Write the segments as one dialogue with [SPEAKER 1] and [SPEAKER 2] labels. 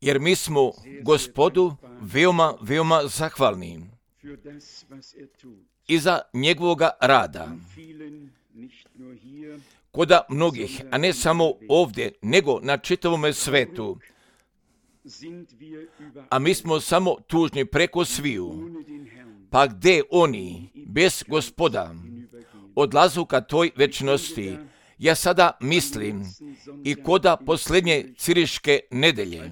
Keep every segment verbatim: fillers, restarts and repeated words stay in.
[SPEAKER 1] jer mi smo Gospodu veoma, veoma zahvalni i za njegovoga rada. Koda mnogih, a ne samo ovdje, nego na čitavome svetu. A mi smo samo tužni preko sviju. Pa gdje oni, bez Gospoda, odlazu ka toj večnosti? Ja sada mislim i koda posljednje ciriške nedelje,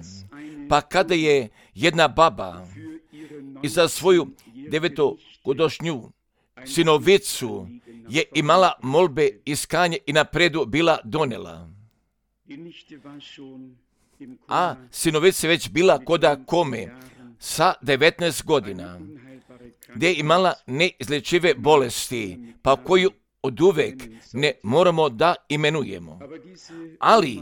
[SPEAKER 1] pa kada je jedna baba i za svoju devetogodišnju sinovicu je imala molbe iskanje i napredu bila donela. A sinovica je već bila koda kome sa devetnaest godina, gdje je imala neizlečive bolesti, pa koju od uvek ne moramo da imenujemo. Ali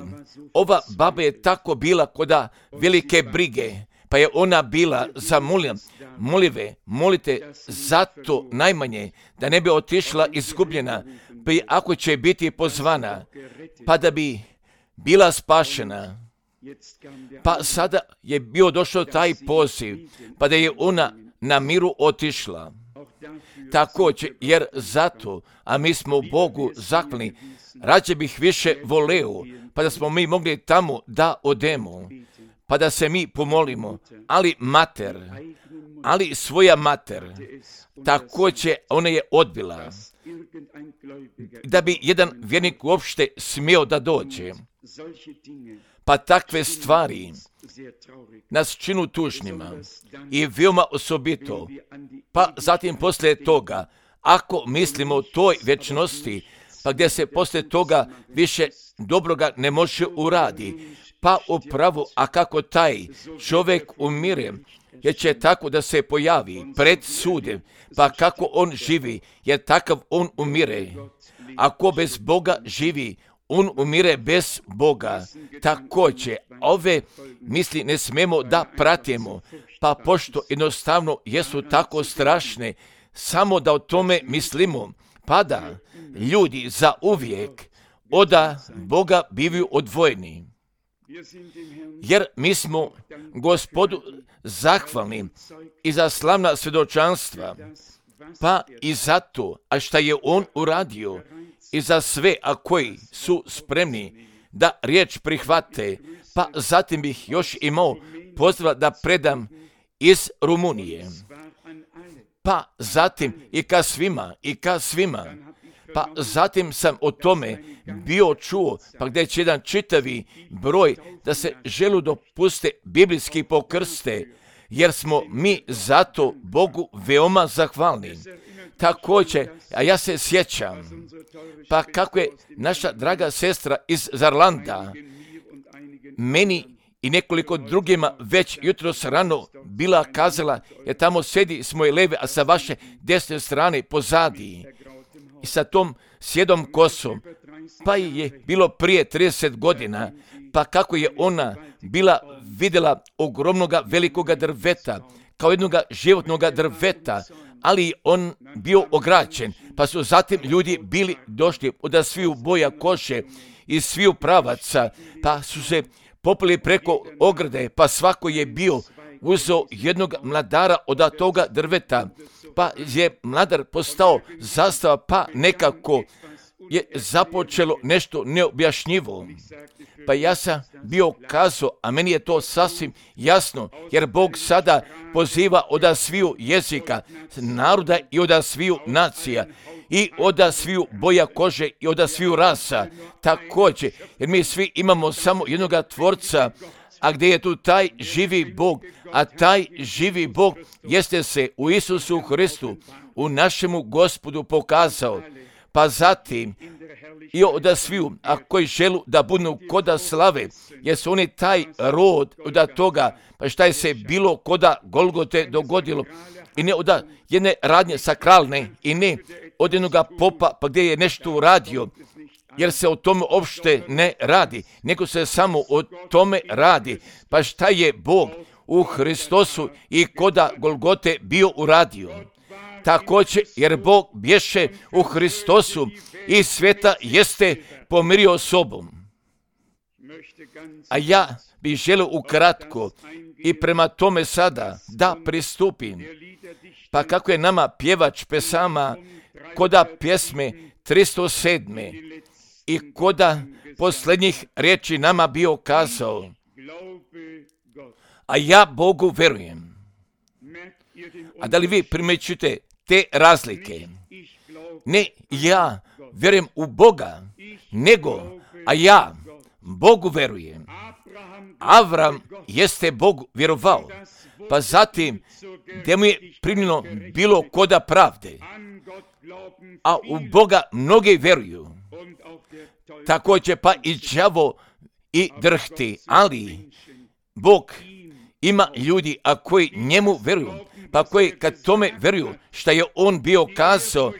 [SPEAKER 1] ova baba je tako bila koda velike brige, pa je ona bila zamolila, molive, molite zato najmanje da ne bi otišla izgubljena, pa i ako će biti pozvana, pa da bi bila spašena. Pa sada je bio došao taj poziv, pa da je ona na miru otišla. Također, jer zato, a mi smo Bogu zahvalni, rađe bih više voleo, pa da smo mi mogli tamo da odemo, pa da se mi pomolimo, ali mater, ali svoja mater, također ona je odbila, da bi jedan vjernik uopšte smio da dođe. Pa takve stvari nas činu tužnima i veoma osobito. Pa zatim poslije toga, ako mislimo o toj večnosti, pa gdje se poslije toga više dobroga ne može uradi, pa upravo, a kako taj čovjek umire, jer će tako da se pojavi pred sudem, pa kako on živi, jer takav on umire. Ako bez Boga živi, on umire bez Boga. Također, ove misli ne smemo da pratimo, pa pošto jednostavno jesu tako strašne, samo da o tome mislimo, pa da ljudi za uvijek oda Boga bivaju odvojeni. Jer mi smo Gospodu zahvalni i za slavna svjedočanstva, pa i zato, a šta je on uradio, i za sve, a koji su spremni da riječ prihvate, pa zatim bih još imao pozdrav da predam iz Rumunije. Pa zatim i ka svima, i ka svima. Pa zatim sam o tome bio čuo, pa gdje će jedan čitavi broj da se želu dopuste biblijski pokrste, jer smo mi zato Bogu veoma zahvalni. Također, a ja se sjećam, pa kako je naša draga sestra iz Zarlanda meni i nekoliko drugima već jutros rano bila kazala, jer tamo sedi s moje leve, a sa vaše desne strane pozadi i sa tom sjedom kosom, pa je bilo prije trideset godina, pa kako je ona bila vidjela ogromnoga velikoga drveta, kao jednoga životnoga drveta, ali on bio ograđen, pa su zatim ljudi bili došli od sviju boja kože i sviju pravaca, pa su se popili preko ograde, pa svako je bio uzeo jednog mladara od toga drveta, pa je mladar postao zastava, pa nekako je započelo nešto neobjašnjivo. Pa ja sam bio kazao, a meni je to sasvim jasno, jer Bog sada poziva od sviju jezika, naroda i od sviju nacija, i od sviju boja kože i od sviju rasa. Također, jer mi svi imamo samo jednoga tvorca, a gdje je tu taj živi Bog, a taj živi Bog jeste se u Isusu Hristu, u našemu Gospodu pokazao. Pa zatim i od sviju, a koji želu da budu koda slave, jer su oni taj rod od toga, pa šta je se bilo koda Golgote dogodilo, i ne od jedne radnje sakralne, i ne od jednoga popa, pa gdje je nešto uradio, jer se o tome uopšte ne radi, nego se samo o tome radi. Pa šta je Bog u Hristosu i koda Golgote bio uradio? Također, jer Bog bješe u Hristosu i sveta jeste pomirio sobom. A ja bih želio ukratko i prema tome sada da pristupim. Pa kako je nama pjevač pesama koda pjesme tristo sedam. i koda posljednjih riječi nama bio kazao, a ja Bogu verujem. A da li vi primjećujete te razlike? Ne ja vjerujem u Boga, nego, a ja Bogu verujem. Avram jeste Bogu vjerovao, pa zatim gdje mu je primljeno bilo koda pravde, a u Boga mnogi vjeruju. Također pa i đavo i drhti, ali Bog ima ljudi, a koji njemu vjeruju, pa koji kad tome vjeruju šta je on bio kazao,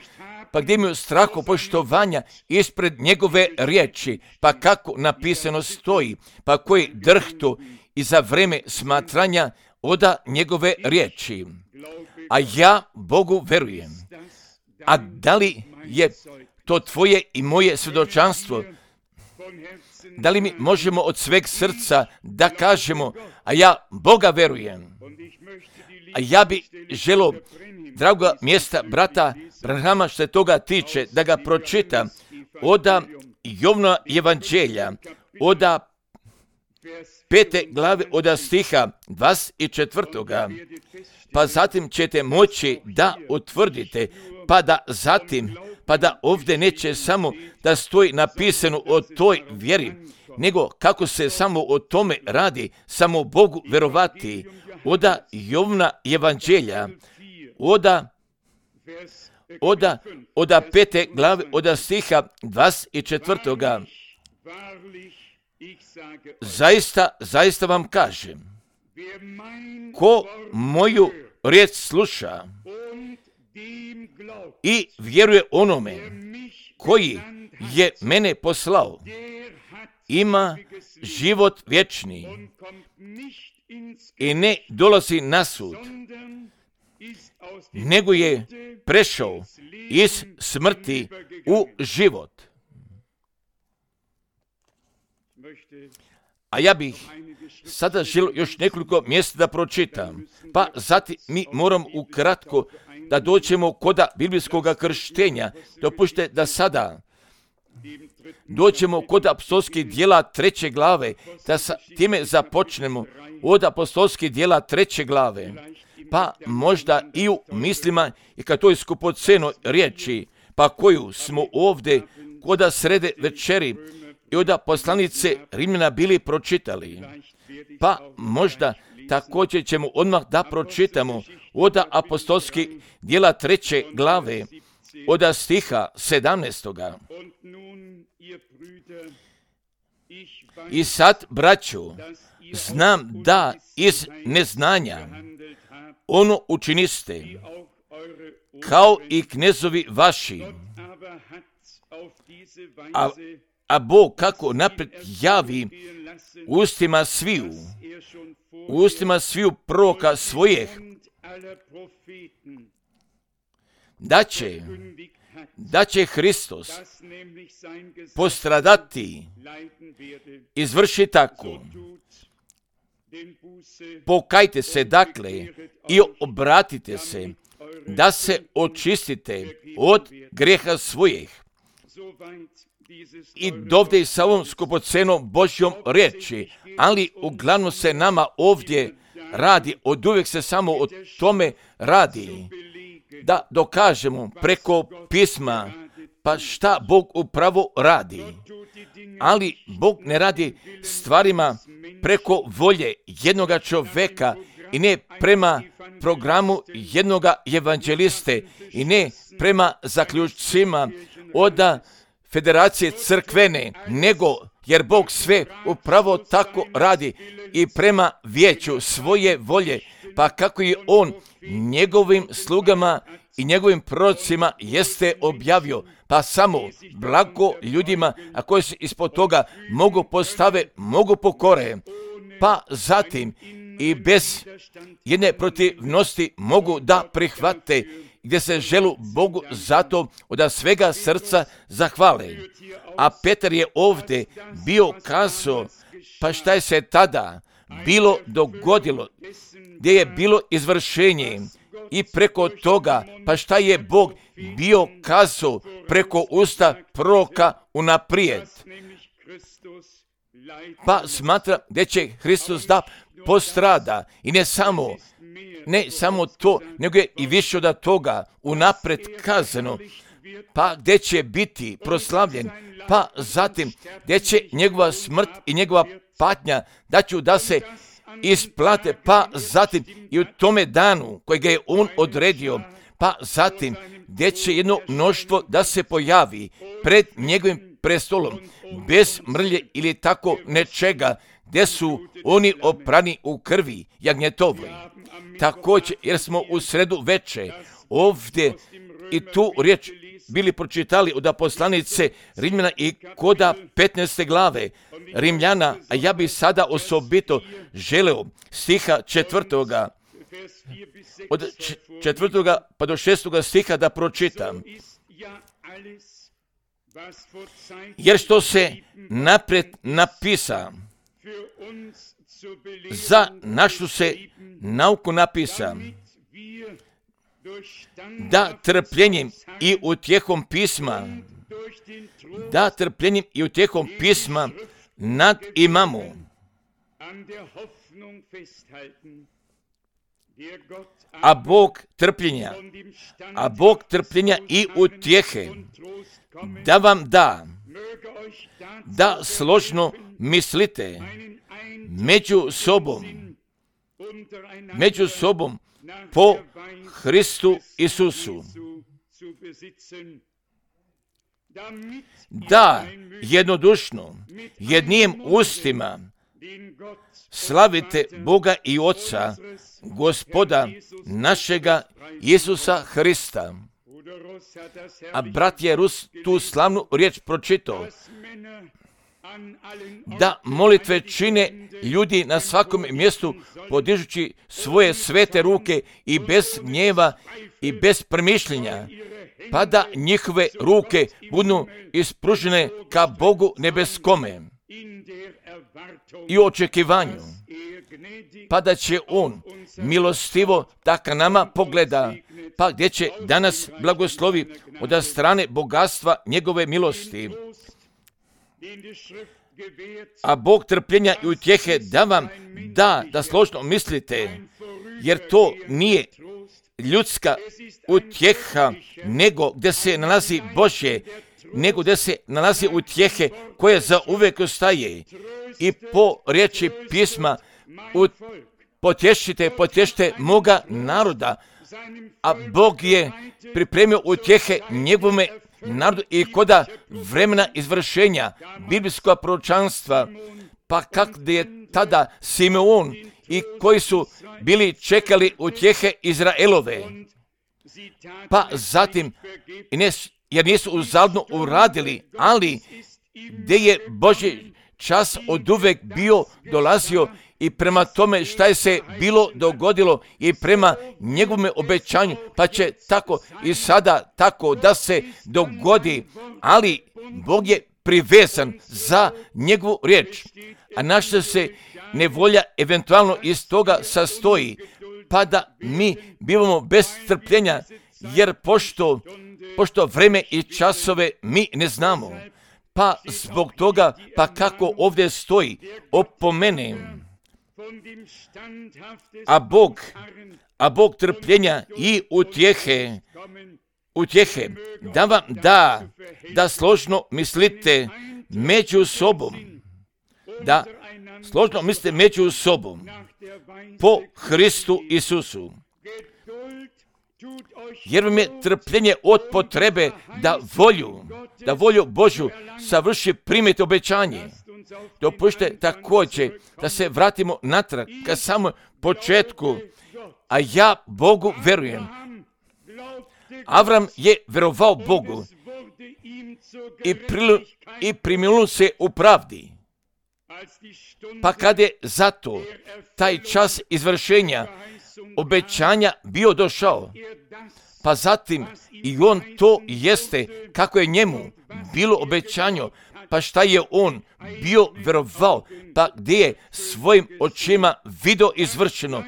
[SPEAKER 1] pa gdje imaju straho poštovanja ispred njegove riječi, pa kako napisano stoji, pa koji drhtu i za vreme smatranja oda njegove riječi. A ja Bogu verujem. A da li je to tvoje i moje svjedočanstvo? Da li mi možemo od sveg srca da kažemo, a ja Boga verujem? A ja bi želio, draga mjesta brata Branhama, što se toga tiče, da ga pročitam oda Jovna evanđelja, oda pete glave, oda stiha dvadeset četvrtoga. Pa zatim ćete moći da utvrdite, pa da zatim, pa da ovdje neće samo da stoji napisano o toj vjeri, nego kako se samo o tome radi, samo Bogu verovati. Oda Jovna evanđelja, oda, oda, oda pete glave, oda stiha dvadeset četvrtoga. Zaista, zaista vam kažem, ko moju riječ sluša i vjeruje onome koji je mene poslao, ima život vječni i ne dolazi na sud, nego je prešao iz smrti u život. A ja bih sada želio još nekoliko mjesta da pročitam, pa zatim mi moram ukratko da dođemo koda biblijskog krštenja. Dopušte da sada dođemo kod apostolskih djela treće glave, da sa time započnemo od apostolskih djela treće glave, pa možda i u mislima i kad to je skupoceno riječi, pa koju smo ovdje koda srede večeri i od poslanice Rimljana bili pročitali, pa možda također ćemo odmah da pročitamo od apostolskih djela treće glave, od stiha sedamnaestoga. I sad, braćo, znam da iz neznanja ono učiniste, kao i knezovi vaši, a, a Bog kako napred javi ustima sviju, ustima sviju proroka svojih, da će, da će Hristos postradati, izvrši tako. Pokajte se dakle i obratite se, da se očistite od grijeha svojih. I dovde sa ovom skupocenom Božjom riječi, ali uglavnom se nama ovdje radi, od uvijek se samo o tome radi, da dokažemo preko pisma, pa šta Bog upravo radi. Ali Bog ne radi stvarima preko volje jednoga čovjeka i ne prema programu jednoga evanđeliste i ne prema zaključcima od federacije crkvene, nego jer Bog sve upravo tako radi i prema vijeću svoje volje, pa kako je on njegovim slugama i njegovim prorocima jeste objavio, pa samo blago ljudima, a koji se ispod toga mogu postave, mogu pokore, pa zatim i bez jedne protivnosti mogu da prihvate gdje se želu Bogu zato od svega srca zahvale. A Petar je ovdje bio kazao, pa šta je se tada bilo dogodilo, gdje je bilo izvršenje i preko toga, pa šta je Bog bio kazao preko usta proroka unaprijed. Pa smatra da će Hristos da postrada i ne samo, ne samo to, nego je i više od toga unaprijed kazano, pa gdje će biti proslavljen, pa zatim gdje će njegova smrt i njegova patnja da ću da se isplate, pa zatim i u tome danu kojega je on odredio, pa zatim gdje će jedno mnoštvo da se pojavi pred njegovim prestolom, bez mrlje ili tako nečega, gdje su oni oprani u krvi jagnjetovoj. Također, jer smo u sredu veče ovdje i tu riječ bili pročitali od poslanice Rimljana i koda petnaeste glave Rimljana, a ja bih sada osobito želeo stiha četvrtoga, od četvrtoga pa do šestoga stiha da pročitam. Jer što se naprijed napisa, za našu se nauku napisa, da trpljenjem i utjehom pisma, da trpljenjem i utjehom pisma nad imamo. A Bog trpljenja, a Bog trpljenja i utjehe, da vam da, da složno mislite među sobom, među sobom po Hristu Isusu, da jednodušno, jednim ustima slavite Boga i Oca, Gospoda našega Isusa Hrista. A brat je Rus tu slavnu riječ pročitao, da molitve čine ljudi na svakom mjestu podižući svoje svete ruke i bez gnjeva i bez premišljenja, pa da njihove ruke budu ispružene ka Bogu nebeskome i očekivanju, pa da će On milostivo da ka nama pogleda, pa gdje će danas blagoslovi od strane bogatstva njegove milosti. A Bog trpljenja i utjehe da vam da, da složno mislite, jer to nije ljudska utjeha, nego gdje se nalazi Božje, nego gdje se nalazi utjehe koje za uvijek ostaje. I po riječi pisma ut, potješite, potješite moga naroda, a Bog je pripremio utjehe njegovome narodu i koda vremena izvršenja biblijskog proročanstva, pa kak je tada Simeon i koji su bili čekali utjehe Izraelove, pa zatim, jer nisu uzaludno uradili, ali gdje je Božji čas od uvek bio dolazio i prema tome šta je se bilo dogodilo i prema njegovome obećanju, pa će tako i sada tako da se dogodi, ali Bog je privezan za njegovu riječ, a naša se nevolja eventualno iz toga sastoji, pa da mi bivamo bez strpljenja, jer pošto, pošto vreme i časove mi ne znamo, pa zbog toga, pa kako ovdje stoji, opomenem, a Bog, a Bog trpljenja i utjehe, utjehe, da vam da, da složno mislite među sobom, da složno mislite među sobom po Hristu Isusu. Jer vam je trpljenje od potrebe da volju, da volju Božju savrši primiti obećanje. Dopušte također da se vratimo natrag ka samom početku, a ja Bogu verujem. Avram je verovao Bogu i, prilu, i primilo se u pravdi. Pa kad je zato taj čas izvršenja obećanja bio došao, pa zatim i on to jeste kako je njemu bilo obećanjo, pa šta je on bio verovao, pa gdje je svojim očima video izvršeno.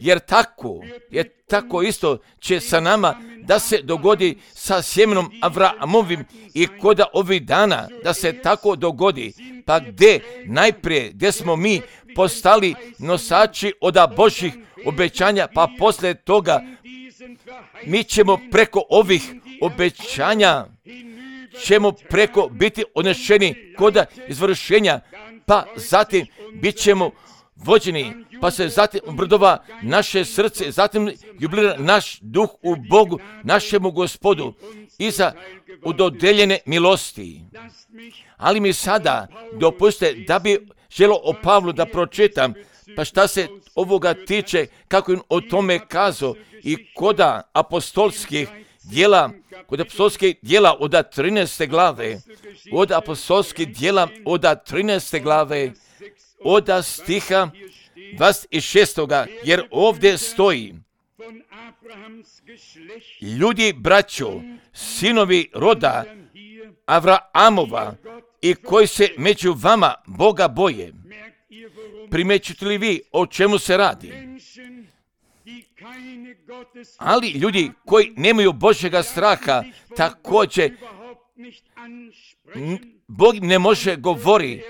[SPEAKER 1] Jer tako, je tako isto će sa nama da se dogodi sa sjemenom Avramovim i koda ovih dana da se tako dogodi. Pa gdje najprije, gdje smo mi postali nosači od Božjih obećanja, pa poslije toga mi ćemo preko ovih obećanja ćemo preko biti odnešeni koda izvršenja, pa zatim bit ćemo vođeni, pa se zatim obradova naše srce, zatim jubilira naš duh u Bogu, našemu Gospodu i za udodeljene milosti. Ali mi sada dopustite da bi želio o Pavlu da pročitam, pa šta se ovoga tiče, kako je o tome kazao i koda apostolskih djela, kod apostolskih djela od trinaeste glave, od apostolskih djela od trinaeste glave, od stiha dvadeset šestoga, jer ovdje stoji: ljudi, braćo, sinovi roda Avraamova i koji se među vama Boga boje. Primećujete li vi o čemu se radi? Ali ljudi koji nemaju Božjega straha, također Bog ne može govori,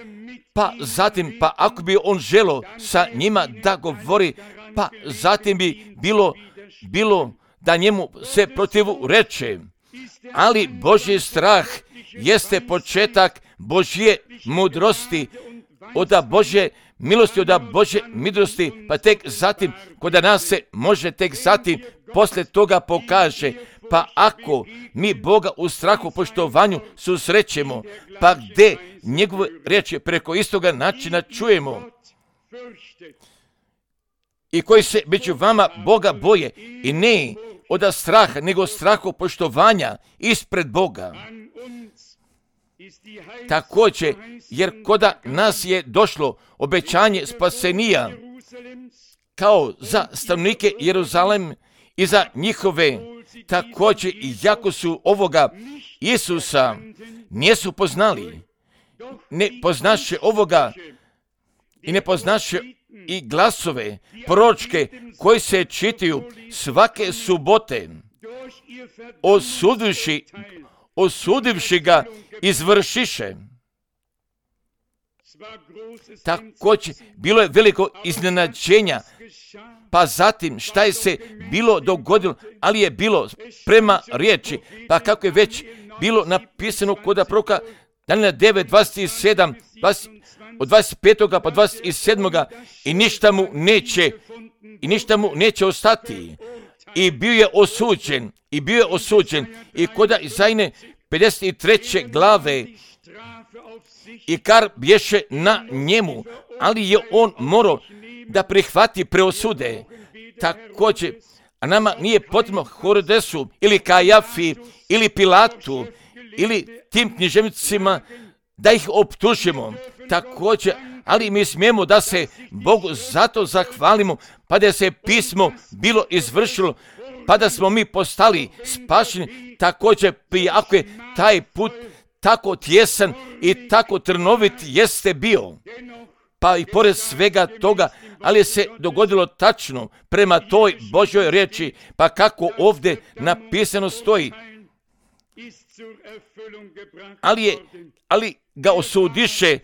[SPEAKER 1] pa zatim, pa ako bi on želo sa njima da govori, pa zatim bi bilo, bilo da njemu se protivu reče. Ali Božji strah jeste početak Božje mudrosti, od Božje milosti, od Božje mudrosti, pa tek zatim, kod nas se može tek zatim, poslije toga pokaže. Pa ako mi Boga u strahu poštovanju susrećemo, pa gdje njegove riječi preko istoga načina čujemo, i koji se među vama Boga boje, i ne od straha, nego strahu poštovanja ispred Boga. Također, jer koda nas je došlo obećanje spasenija, kao za stanovnike Jeruzalem i za njihove, također i jako su ovoga Isusa nisu poznali, ne poznaše ovoga i ne poznaše i glasove proročke koji se čitaju svake subote, osudivši, osudivši ga izvršiše. Također bilo je veliko iznenađenja, pa zatim šta je se bilo dogodilo, ali je bilo prema riječi, pa kako je već bilo napisano kod proroka Danijela devet, dvadeset sedam, dvadeset, od dvadeset petog pa dvadeset sedmog i ništa mu neće, i ništa mu neće ostati. I bio je osuđen, i bio je osuđen, i kod Izajne pedeset treće glave, i kar bješe na njemu, ali je on morao da prihvati preosude. Također, a nama nije potrebno Herodesu ili Kajafi ili Pilatu ili tim književnicima da ih optužimo. Također, ali mi smijemo da se Bogu zato zahvalimo, pa da se pismo bilo izvršilo, pa da smo mi postali spašeni. Također, ako je taj put tako tjesan i tako trnovit jeste bio, pa i pored svega toga, ali se dogodilo tačno prema toj Božjoj riječi, pa kako ovdje napisano stoji, ali, je, ali ga osudiše,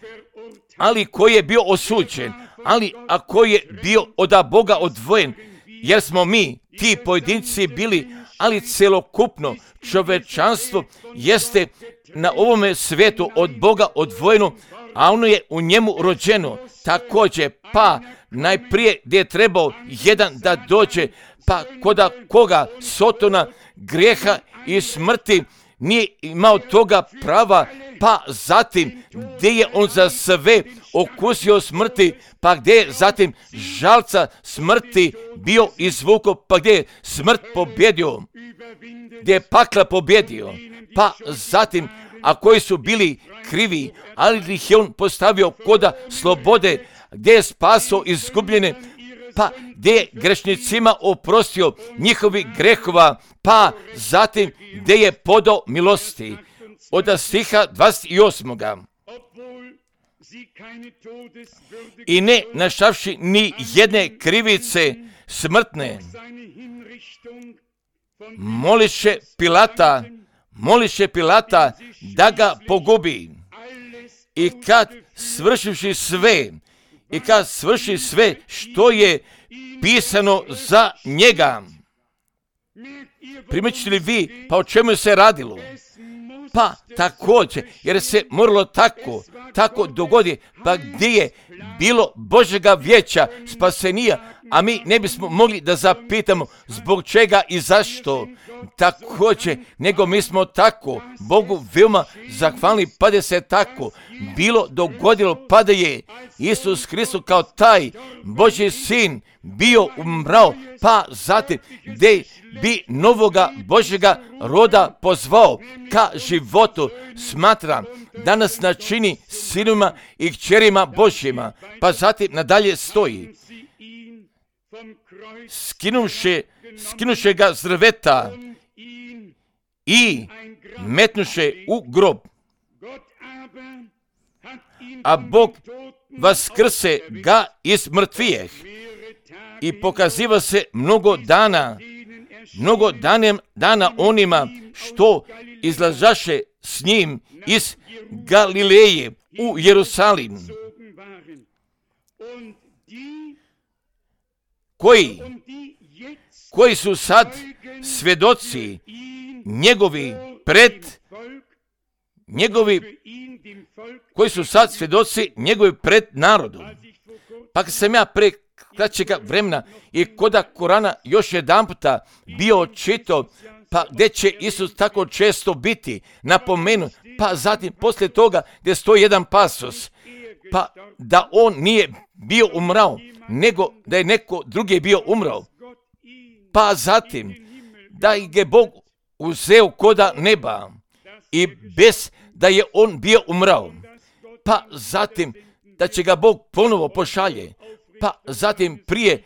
[SPEAKER 1] ali koji je bio osuđen, ali ako je bio od Boga odvojen, jer smo mi, ti pojedinci bili, ali celokupno čovečanstvo jeste na ovome svijetu od Boga odvojeno, a ono je u njemu rođeno. Također, pa najprije gdje je trebao jedan da dođe, pa koda koga Sotona, grijeha i smrti nije imao toga prava, pa zatim gdje je on za sve okusio smrti, pa gdje je zatim žalca smrti bio izvukao, pa gdje je smrt pobjedio, gdje je pakla pobjedio, pa zatim, a koji su bili krivi, ali ih je on postavio koda slobode, gdje je spasao izgubljene, pa gdje je grešnicima oprostio njihovi grehova, pa zatim gdje je podao milosti. Od stiha dvadeset osam. I ne našavši ni jedne krivice smrtne, moliše Pilata, moliše Pilata da ga pogubi. I kad svršivši sve, i kad svrši sve što je pisano za njega. Primećete li vi, pa o čemu se radilo? Pa također, jer se moralo tako, tako dogodi, pa gdje je bilo Božjega vijeća spasenija, a mi ne bismo mogli da zapitamo zbog čega i zašto. Također, nego mi smo tako Bogu veoma zahvalni, pa da se tako bilo dogodilo, pa da je Isus Hristos kao taj Božji sin bio umrao, pa zatim gdje bi novoga Božjega roda pozvao ka životu. Smatram da nas načini sinovima i kćerima Božjima, pa zatim nadalje stoji. Skinuše, skinuše ga s drveta i metnuše u grob. A Bog vaskrse ga iz mrtvijeh i pokaziva se mnogo dana, mnogo danem, dana onima što izlazaše s njim iz Galileje u Jerusalim, koji, koji su sad svjedoci njegovi pred njegovi koji su sad svjedoci njegovi pred narodom. Pa kad sam ja pre kraćega vremena i koda Korana još jedan puta bio čitao, pa gdje će Isus tako često biti napomenu, pa zatim poslije toga gdje stoji jedan pasos, pa da on nije bio umrao, nego da je neko drugi bio umrao, pa zatim da je Bog uzeo koda neba i bez da je on bio umrao, pa zatim da će ga Bog ponovo pošalje, pa zatim prije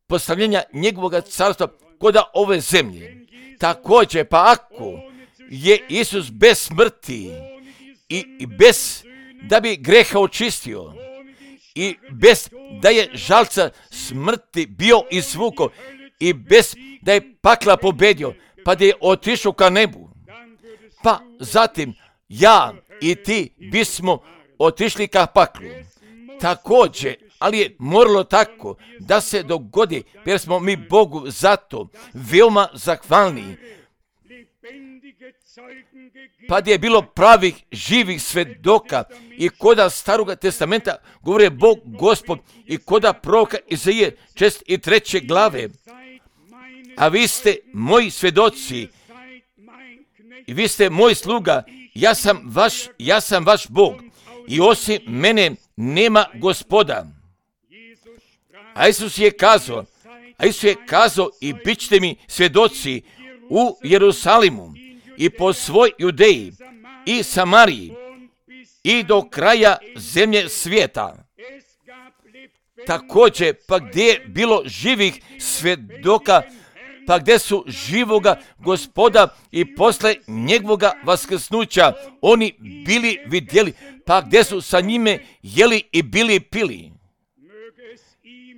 [SPEAKER 1] postavljenja njegovog carstva koda ove zemlje. Također, pa ako je Isus bez smrti i, i bez da bi greha očistio i bez da je žalca smrti bio izvuko i bez da je pakla pobedio, pa da je otišao ka nebu, pa zatim ja i ti bismo otišli ka paklu. Također, ali je moralo tako da se dogodi, jer smo mi Bogu zato veoma zahvalni. Pa da je bilo pravih, živih svedoka i koda Staroga testamenta govore Bog Gospod i koda proroka Izaije čest i treće glave. A vi ste moji svedoci i vi ste moj sluga, ja sam vaš, ja sam vaš Bog i osim mene nema gospoda. A Isus je kazao, a Isus je kazao i bit ćete mi svjedoci u Jerusalimu i po svoj Judeji i Samariji i do kraja zemlje svijeta. Također, pa gdje je bilo živih svjedoka, pa gdje su živoga Gospoda i posle njegovoga vaskrsnuća oni bili vidjeli, pa gdje su sa njime jeli i bili pili.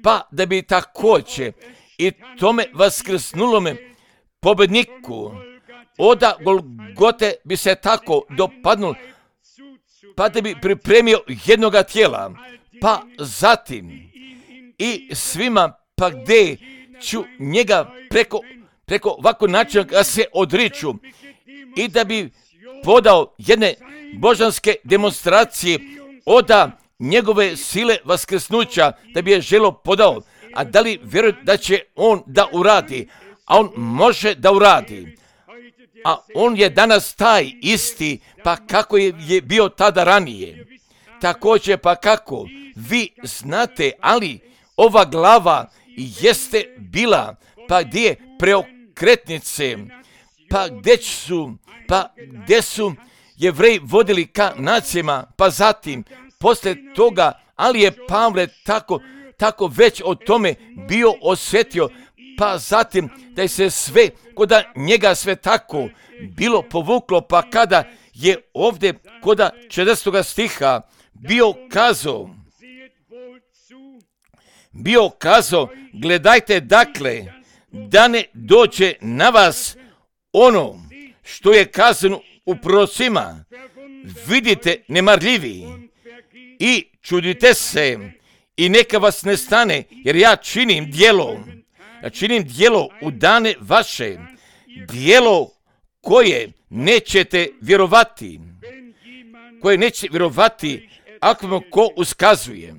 [SPEAKER 1] Pa da bi također i tome vaskrsnulome pobedniku oda Golgote bi se tako dopadnul, pa da bi pripremio jednoga tijela, pa zatim i svima, pa gdje ću njega preko, preko ovako načina da se odriču i da bi podao jedne božanske demonstracije oda njegove sile vaskrsnuća, da bi je želo podao. A da li vjeruje da će on da uradi? A on može da uradi. A on je danas taj isti, pa kako je, je bio tada ranije. Također, pa kako vi znate, ali ova glava jeste bila, pa gdje je preokretnice, pa gdje su, pa gdje su Jevreji vodili ka nacijama, pa zatim, poslije toga, ali je Pavle tako tako već o tome bio osjetio, pa zatim da je se sve, koda njega sve tako bilo povuklo, pa kada je ovdje koda četrnaestog stiha bio kazao, bio kazao, gledajte dakle, da ne dođe na vas ono što je kazano u prorocima, vidite nemarljivi i čudite se i neka vas ne stane, jer ja činim djelo, ja činim djelo u dane vaše, djelo koje nećete vjerovati, koje neće vjerovati ako vam ko uskazuje.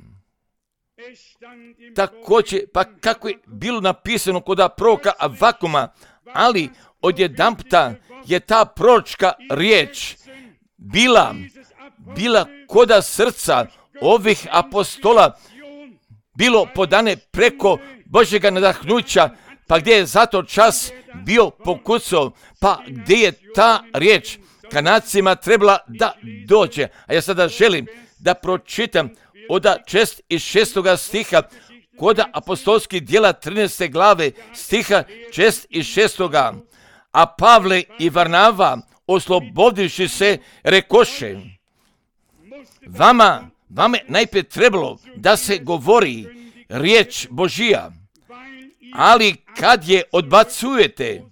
[SPEAKER 1] Također, pa kako je bilo napisano kod proroka Avakuma, ali odjedanputa je ta proročka riječ bila, bila koda srca ovih apostola, bilo podane preko Božjega nadahnuća, pa gdje je zato čas bio pokucao, pa gdje je ta riječ Kanacima trebala da dođe. A ja sada želim da pročitam od čest i šestoga stiha kod apostolskih djela trinaeste glave stiha šest i šestoga. A Pavle i Varnava, oslobodivši se, rekoše, vama, vama je najprije trebalo da se govori riječ Božija, ali kad je odbacujete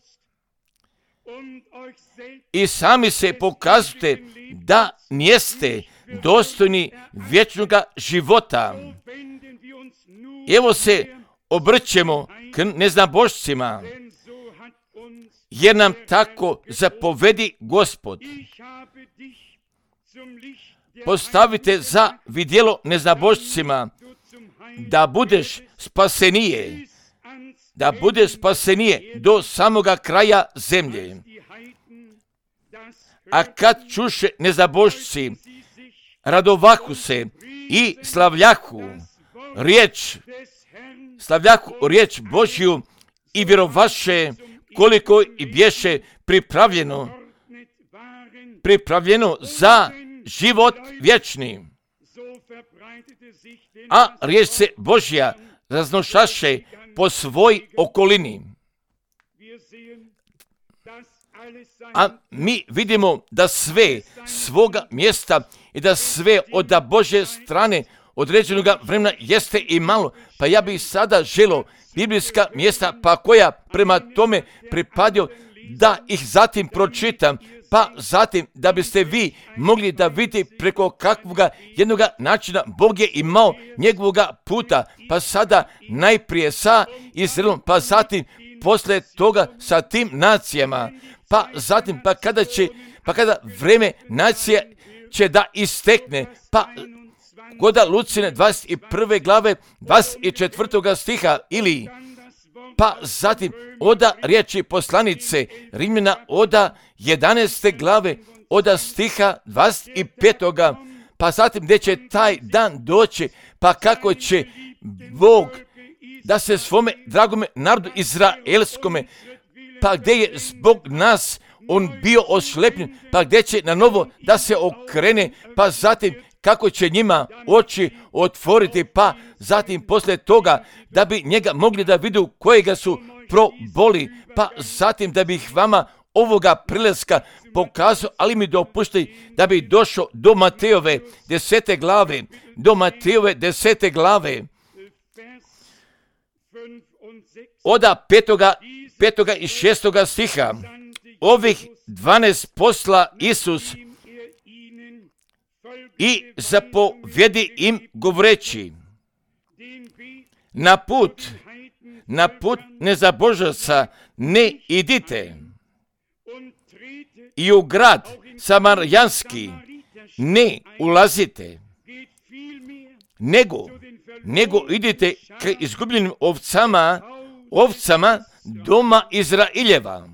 [SPEAKER 1] i sami se pokazujete da nijeste dostojni vječnoga života. Evo se obrćemo k neznabošcima, jer nam tako zapovedi Gospod. Postavite za vidjelo neznabošcima, da budeš spasenije, da budeš spasenije do samoga kraja zemlje. A kad čuše neznabošci, radovahu se i slavljahu riječ, slavljahu riječ Božju i vjerovaše koliko i bješe pripravljeno, pripravljeno za život vječni. A riječ se Božja raznošaše po svoj okolini. A mi vidimo da sve svoga mjesta i da sve od Božje strane određenog vremena jeste i malo. Pa ja bih sada želio biblijska mjesta, pa koja prema tome pripadio, da ih zatim pročitam, pa zatim da biste vi mogli da vidite preko kakvoga jednoga načina Bog je imao njegovoga puta, pa sada najprije sa Izraelom, pa zatim posle toga sa tim nacijama, pa zatim pa kada će, pa kada vreme nacije će da istekne, pa koda Lucine dvadeset prve glave dvadeset četvrtoga stiha, ili pa zatim oda riječi poslanice Rimljana oda jedanaeste glave oda stiha dvadeset petoga, pa zatim gdje će taj dan doći, pa kako će Bog da se svome dragome narodu izraelskome, pa gdje je zbog nas on bio oslepljen, pa gdje će na novo da se okrene, pa zatim kako će njima oči otvoriti, pa zatim poslije toga da bi njega mogli da vidu kojega su proboli, pa zatim da bih vama ovoga prileska pokazao, ali mi dopušti da bi došao do Matejove desete glave, do Matejove desete glave, oda petoga, petoga i šestoga stiha. Ovih dvanaest posla Isus i zapovjedi im govoreći, na put, na put nezabožaca ne idite, i u grad Samarijanski ne ulazite, nego, nego idite k izgubljenim ovcama, ovcama doma Izraeljeva.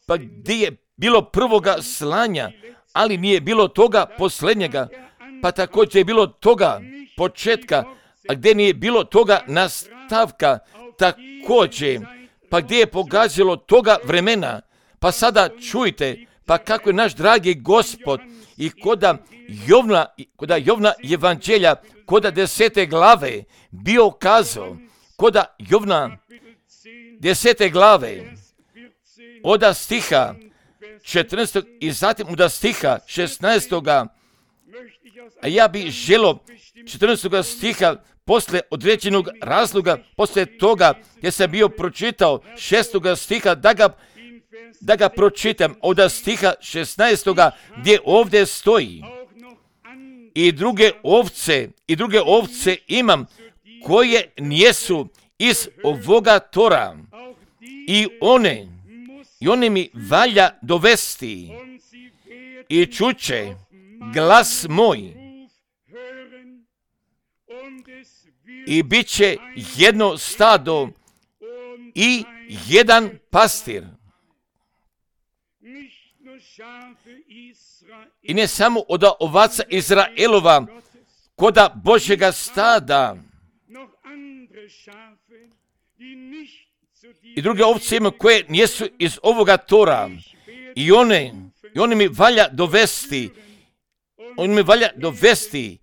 [SPEAKER 1] Pa gdje je bilo prvoga slanja, ali nije bilo toga posljednjega, pa također je bilo toga početka, a gdje nije bilo toga nastavka, također, pa gdje je pogađalo toga vremena, pa sada čujte, pa kako je naš dragi Gospod I koda Jovna, koda Jovna evanđelja, koda desete glave bio kazao, koda Jovna desete glave, oda stiha četrnaestog i zatim od stiha šesnaestoga, a ja bih želio četrnaestoga stiha posle određenog razloga, posle toga jer sam bio pročitao šestoga stiha da ga, da ga pročitam od stiha šesnaestoga gdje ovdje stoji. I druge ovce, i druge ovce imam koje nijesu iz ovoga tora i one, i one mi valja dovesti i čuće glas moj i bit će jedno stado i jedan pastir. I ne samo od ovaca Izraelova, koda Božjega stada, i druge ovce ima koje nijesu iz ovoga tora i one, i one mi valja dovesti, on mi valja dovesti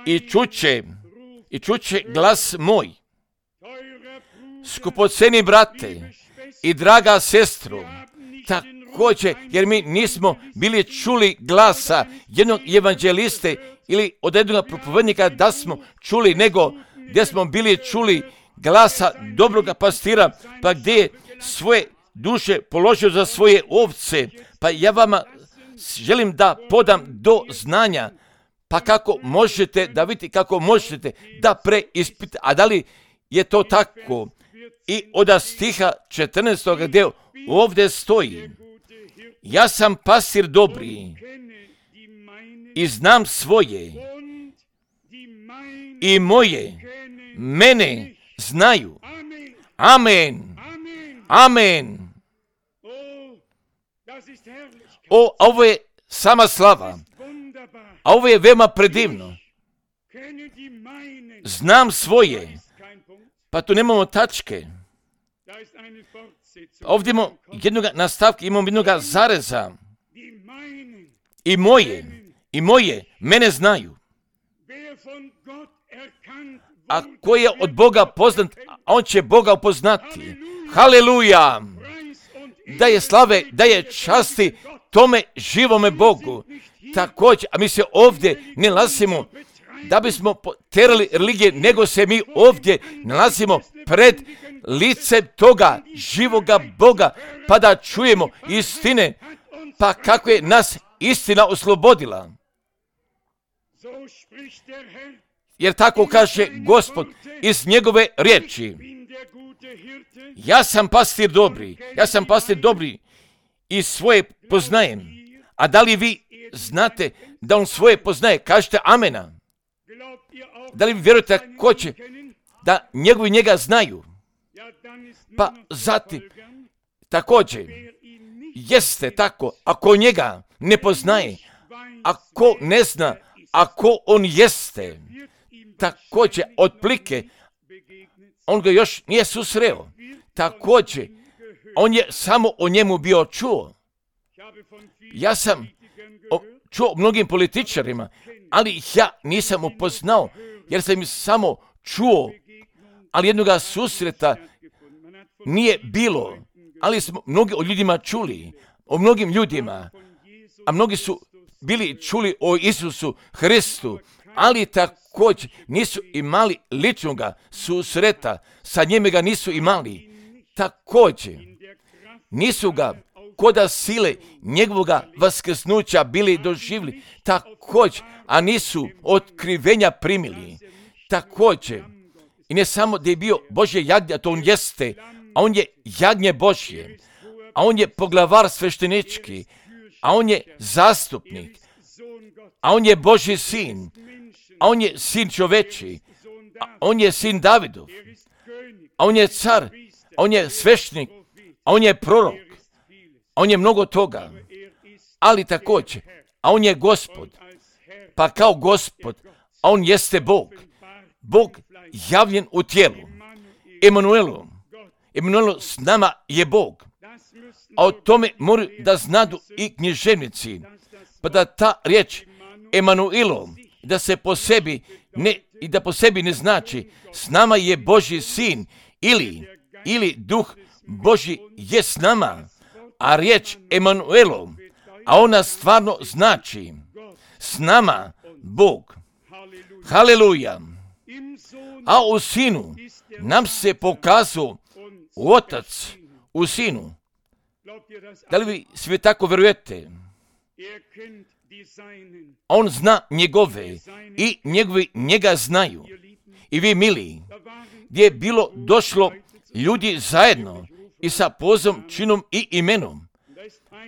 [SPEAKER 1] i čuće, i čuće glas moj. Skupoceni brate i draga sestro, također, jer mi nismo bili čuli glasa jednog evanđeliste ili od jednog propovednika da smo čuli, nego gdje smo bili čuli glasa dobroga pastira, pa gdje je svoje duše položio za svoje ovce. Pa ja vama želim da podam do znanja, pa kako možete da vidite, kako možete da preispite, a da li je to tako? I od stiha četrnaestog gdje ovdje stoji, ja sam pastir dobri i znam svoje i moje mene znaju. Amen. Amen. O, ovo je sama slava. A ovo je veoma predivno. Znam svoje. Pa tu nemamo tačke. Ovdje imamo jednog nastavka, imamo jednog zareza. I moje, i moje, mene znaju. A ko je od Boga poznat, on će Boga upoznati. Haleluja! Da je slave, da je časti tome živome Bogu. Također, a mi se ovdje ne nalazimo da bismo terali religije, nego se mi ovdje nalazimo pred licem toga živoga Boga, pa da čujemo istine, pa kako je nas istina oslobodila. Jer tako kaže Gospod iz njegove riječi. Ja sam pastir dobri, ja sam pastir dobri i svoje poznajem. A da li vi znate da on svoje poznaje? Kažete amena. Da li vi vjerujete ko će da njegovi njega znaju? Pa zatim, također, jeste tako, ako njega ne poznaje, ako ne zna, ako on jeste, također, otplike, on ga još nije susreo. Također, on je samo o njemu bio čuo. Ja sam o, čuo mnogim političarima, ali ih ja nisam upoznao, jer sam ih samo čuo, ali jednoga susreta nije bilo. Ali smo mnogi o ljudima čuli, o mnogim ljudima, a mnogi su bili čuli o Isusu Hristu, ali također nisu imali ličnoga susreta, sa njime ga nisu imali. Također nisu ga koda sile njegovoga vaskrsnuća bili doživjeli, također, a nisu otkrivenja primili. Također, i ne samo da je bio Božje jagnje, a to on jeste, a on je jagnje Božje, a on je poglavar sveštenički, a on je zastupnik, a on je Božji sin, a on je sin čoveči, a on je sin Davidov, a on je car, a on je sveštenik, a on je prorok, a on je mnogo toga, ali također, a on je Gospod, pa kao Gospod, a on jeste Bog, Bog javljen u tijelu, Emanuelu, Emanuelu s nama je Bog, a o tome moraju da znadu i književnici, pa da ta riječ Emanuilo, da se po sebi ne, i da po sebi ne znači s nama je Božji sin ili, ili duh Božji je s nama, a riječ Emanuelo, a ona stvarno znači s nama Bog. Haleluja. A u sinu nam se pokazao Otac u sinu. Da li vi svi tako vjerujete? On zna njegove i njegovi njega znaju. I vi mili, gdje je bilo došlo ljudi zajedno i sa pozivom, činom i imenom.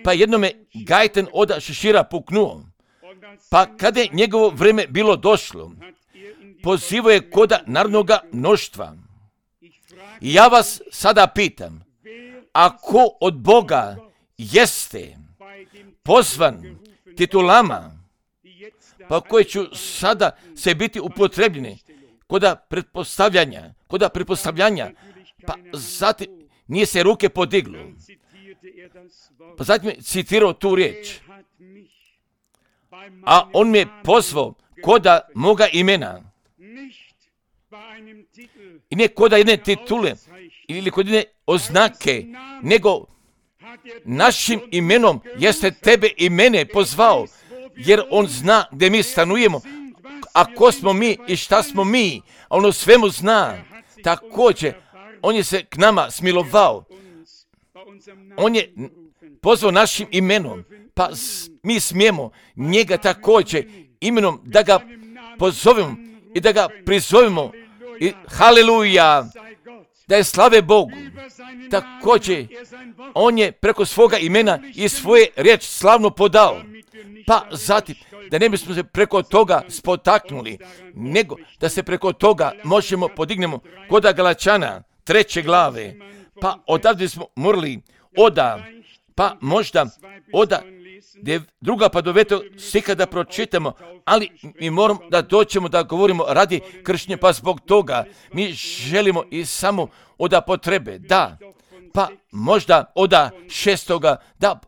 [SPEAKER 1] Pa jednome gajten oda šešira puknuo. Pa kada je njegovo vrijeme bilo došlo, pozivao je koda narodnoga mnoštva. I ja vas sada pitam, ako od Boga jeste pozvan titulama, pa koji ću sada se biti upotrebljeni koda pretpostavljanja, koda pretpostavljanja, pa zatim nije se ruke podiglo. Pa zatim je citirao tu riječ. A on mi je pozvao koda moga imena. I ne koda jedne titule ili kod jedne oznake, nego našim imenom jeste tebe i mene pozvao, jer on zna gdje mi stanujemo, a ko smo mi i šta smo mi, a on o svemu zna. Također, on je se k nama smilovao. On je pozvao našim imenom, pa mi smijemo njega također imenom da ga pozovemo i da ga prizovemo. I haleluja, da je slave Bogu. Također, on je preko svoga imena i svoje riječ slavno podao. Pa zatim, da ne bismo se preko toga spotaknuli, nego da se preko toga možemo podignemo kod Galačana treće glave. Pa odavde smo morali oda, pa možda oda druga pa do vetog stiha da pročitamo, ali mi moramo da doćemo da govorimo radi kršćenja, pa zbog toga mi želimo i samo oda potrebe, da, pa možda oda šestoga, da,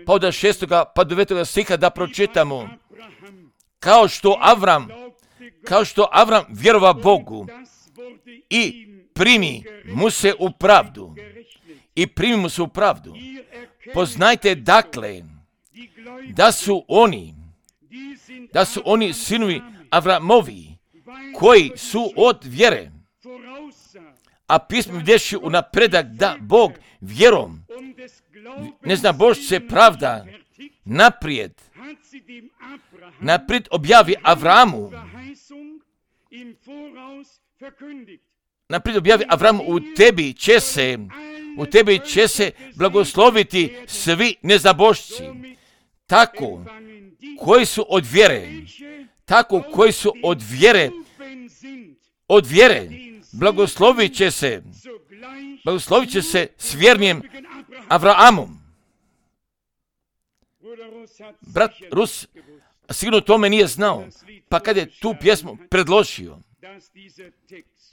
[SPEAKER 1] pa oda šestoga pa do vetoga stiha da pročitamo. Kao što Avram, kao što Avram vjerova Bogu i primi mu se u pravdu, i primi mu se u pravdu. Poznajte dakle, da su oni, da su oni sinovi Avramovi, koji su od vjere, a pismo vidješi u napredak da Bog vjerom, ne zna Bož se pravda, naprijed, naprijed objavi Avramu, naprijed objavi Avramu, u tebi će se, u tebi će se blagosloviti svi nezabošci. Tako, koji su od vjere, tako koji su od vjere, od vjere, blagoslovit će se, blagoslovit će se s vjernijem Avraamom. Brat Rus sigurno tome nije znao, pa kad je tu pjesmu predložio,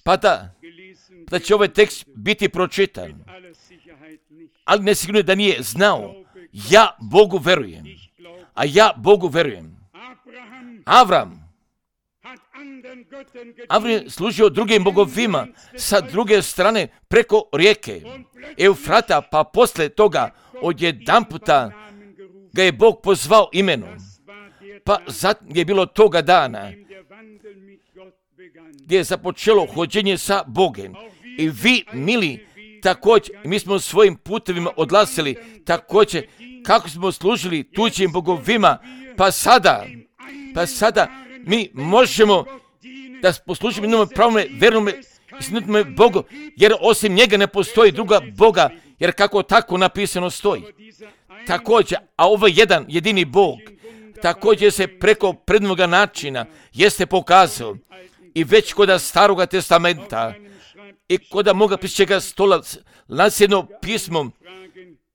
[SPEAKER 1] pa da, da će ovaj tekst biti pročitan, ali ne sigurno da nije znao, ja Bogu verujem, a ja Bogu verujem. Avram, Avram je služio drugim bogovima sa druge strane preko rijeke Eufrata, pa posle toga odjedanputa ga je Bog pozvao imenom. Pa zatim je bilo toga dana gdje je započelo hođenje sa Bogom. I vi, mili, također, mi smo svojim putevima odlasili, također, kako smo služili tuđim bogovima, pa sada, pa sada mi možemo da poslužimo jednom pravome, vernome, istinitome Bogu, jer osim njega ne postoji druga Boga, jer kako tako napisano stoji. Također, a ovo jedan jedini Bog, također se preko prednoga načina jeste pokazao i već kod Staroga testamenta i kod moga pišćega stola nasljedno pismo,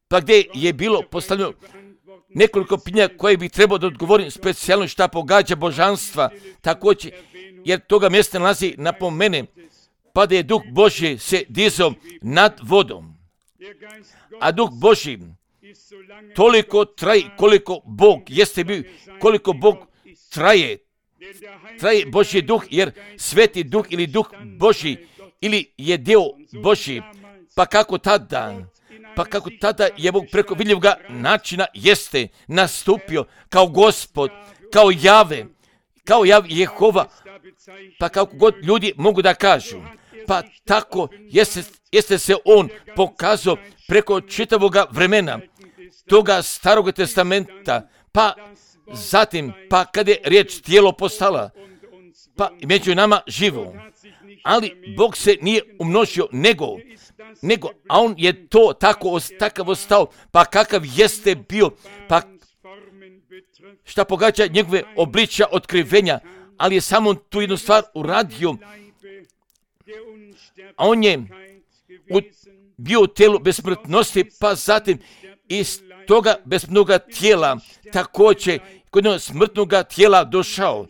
[SPEAKER 1] pa gdje je bilo postavljeno nekoliko pitanja koje bi trebao da odgovorim specijalno šta pogađa božanstva, također, jer toga mjesta nalazi napomene, pa da je Duh Božji se dizao nad vodom. A Duh Božji toliko traje koliko Bog jeste bio, koliko Bog traje. Traje Božji duh, jer Sveti duh ili duh Božji ili je dio Božji. Pa kako tada? Pa kako tada je Bog preko vidljivoga načina jeste nastupio kao Gospod, kao Jave, kao Jav Jehova, pa kako god ljudi mogu da kažu. Pa tako jeste, jeste se on pokazao preko čitavoga vremena, toga Starog testamenta, pa zatim, pa kada je riječ tijelo postala, pa među nama živo. Ali Bog se nije umnožio, nego, nego, a on je to tako, takav ostao, pa kakav jeste bio, pa šta pogađa njegove obličja otkrivenja, ali je samo tu jednu stvar uradio, a on je u, bio u tijelu besmrtnosti, pa zatim iz toga besmrtnoga tijela također kod jednog smrtnoga tijela došao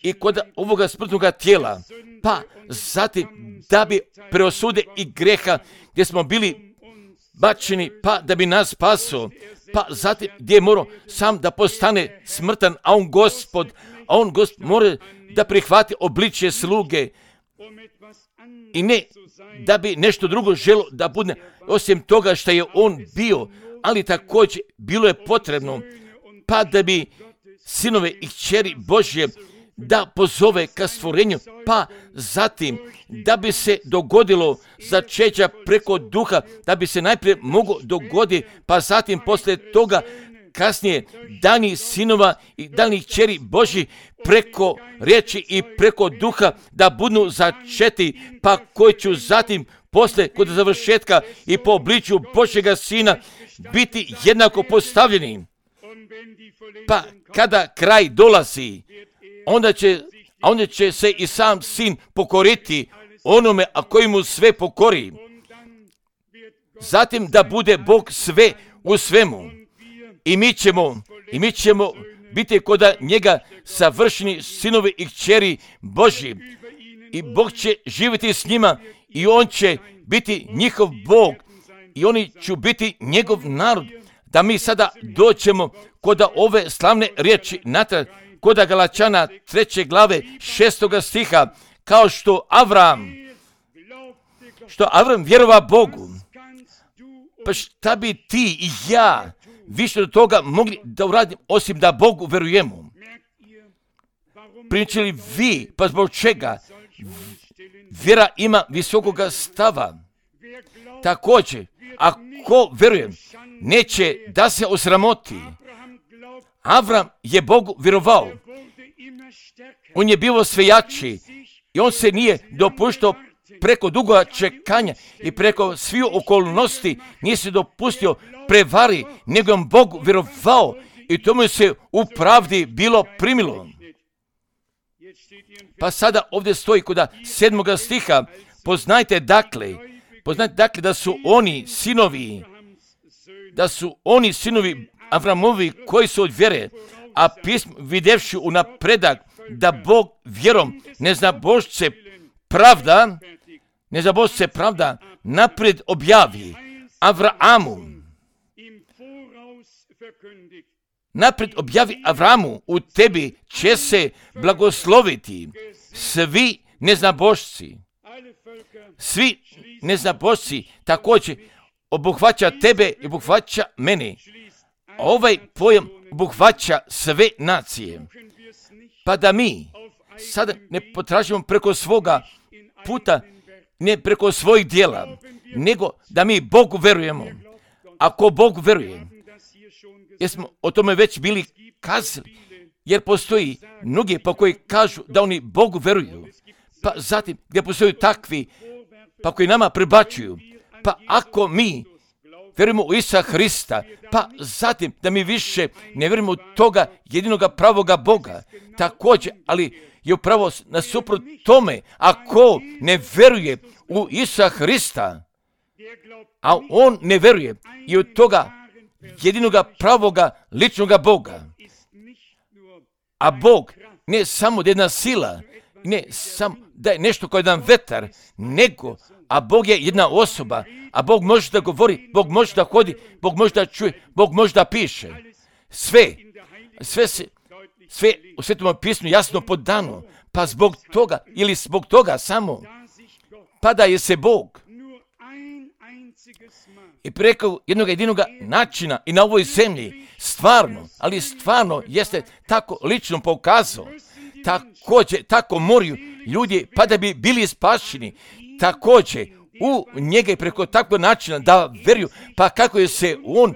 [SPEAKER 1] i kod ovoga smrtnoga tijela, pa zatim da bi preosude i greha gdje smo bili bačeni, pa da bi nas spasio, pa zatim gdje je morao sam da postane smrtan, a on Gospod, a on Gospod mora da prihvati obličje sluge i ne da bi nešto drugo želo da bude osim toga što je on bio, ali također bilo je potrebno pa da bi sinove i kćeri Božje da pozove ka stvorenju, pa zatim da bi se dogodilo začeća preko duha, da bi se najprije moglo dogoditi, pa zatim poslije toga kasnije dani sinova i dani kćeri Božji preko riječi i preko duha da budu začeti, pa koji ću zatim poslije kod završetka i po obličju Božjega sina biti jednako postavljeni. Pa kada kraj dolazi, onda će, onda će se i sam sin pokoriti onome a koji mu sve pokori. Zatim da bude Bog sve u svemu. I mi ćemo, i mi ćemo biti kod njega savršeni sinovi i kćeri Božji. I Bog će živjeti s njima i on će biti njihov Bog i oni će biti njegov narod. Da mi sada doćemo kod ove slavne riječi natrag, kod Galačana treće glave šestoga stiha, kao što Avram, što Avram vjerova Bogu, pa šta bi ti i ja više od toga mogli da uradim osim da Bogu verujemo? Pričali vi, pa zbog čega? Vjera ima visokoga stava. Također, ako verujem, neće da se osramoti. Avram je Bogu vjerovao. On je bio sve jači i on se nije dopuštao preko duga čekanja i preko svih okolnosti nije se dopustio prevari, nego on Bogu vjerovao i to mu se u pravdi bilo primilo. Pa sada ovdje stoji kod sedmoga stiha, poznajte dakle, poznajte dakle da su oni sinovi, da su oni sinovi Avramovi koji su od vjere, a pismo vidjevši u napredak da Bog vjerom ne zna Božce pravda, ne zna Božce pravda napred objavi Avramu. Napred objavi Avramu, u tebi će se blagosloviti svi neznabošci. Svi neznabošci također obuhvaća tebe i obuhvaća mene. Ovaj pojam obuhvaća sve nacije. Pa da mi sada ne potražimo preko svoga puta, ne preko svojih djela, nego da mi Bogu verujemo. Ako Bogu veruje, jer smo o tome već bili kazali, jer postoji mnogi pa koji kažu da oni Bogu veruju, pa zatim gdje postoji takvi pa koji nama prebačuju, pa ako mi vjerujemo u Isusa Hrista, pa zatim da mi više ne vjerujemo u toga jedinoga pravoga Boga, također, ali je upravo nasuprot tome, ako ne vjeruje u Isusa Hrista, a on ne vjeruje i u toga jedinoga pravoga ličnoga Boga, a Bog ne samo jedna sila, Ne samo da je nešto kao jedan vetar, nego, a Bog je jedna osoba, a Bog može da govori, Bog može da hodi, Bog može da čuje, Bog može da piše. Sve, sve se, sve u Svetom pismu jasno podano, pa zbog toga, ili zbog toga samo, pa da je se Bog i preko jednog jedinog načina i na ovoj zemlji stvarno, ali stvarno jeste tako lično pokazao, također, tako moraju ljudi pa da bi bili spašeni, također u njega i preko takvog načina da veruju, pa kako je se on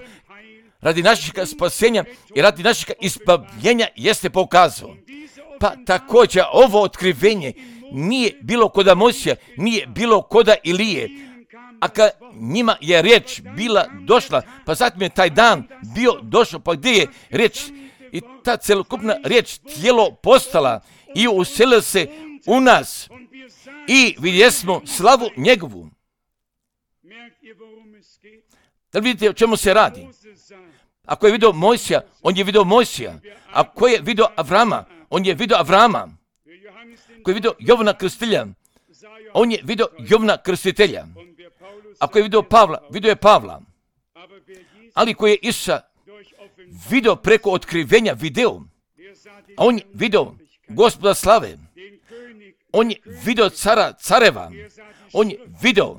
[SPEAKER 1] radi našeg spasenja i radi našeg izbavljenja jeste pokazao. Pa također ovo otkrivenje nije bilo koda Mojsija, nije bilo koda Ilije, a kad njima je riječ bila došla, pa zatim je taj dan bio došao, pa gdje je riječ i ta celokupna riječ tijelo postala i uselila se u nas i vidjeli smo slavu njegovu. Da li vidite o čemu se radi? Ako je vidio Mojsija, on je vidio Mojsija. Ako je vidio Avrama, on je vidio Avrama. Ako je vidio Jovana Krstitelja, on je vidio Jovana Krstitelja. Ako je vidio Pavla, vidio je Pavla. Ali ko je Isusa vidio preko otkrivenja video, a on je vidio Gospoda slave, on je vidio cara careva, on je vidio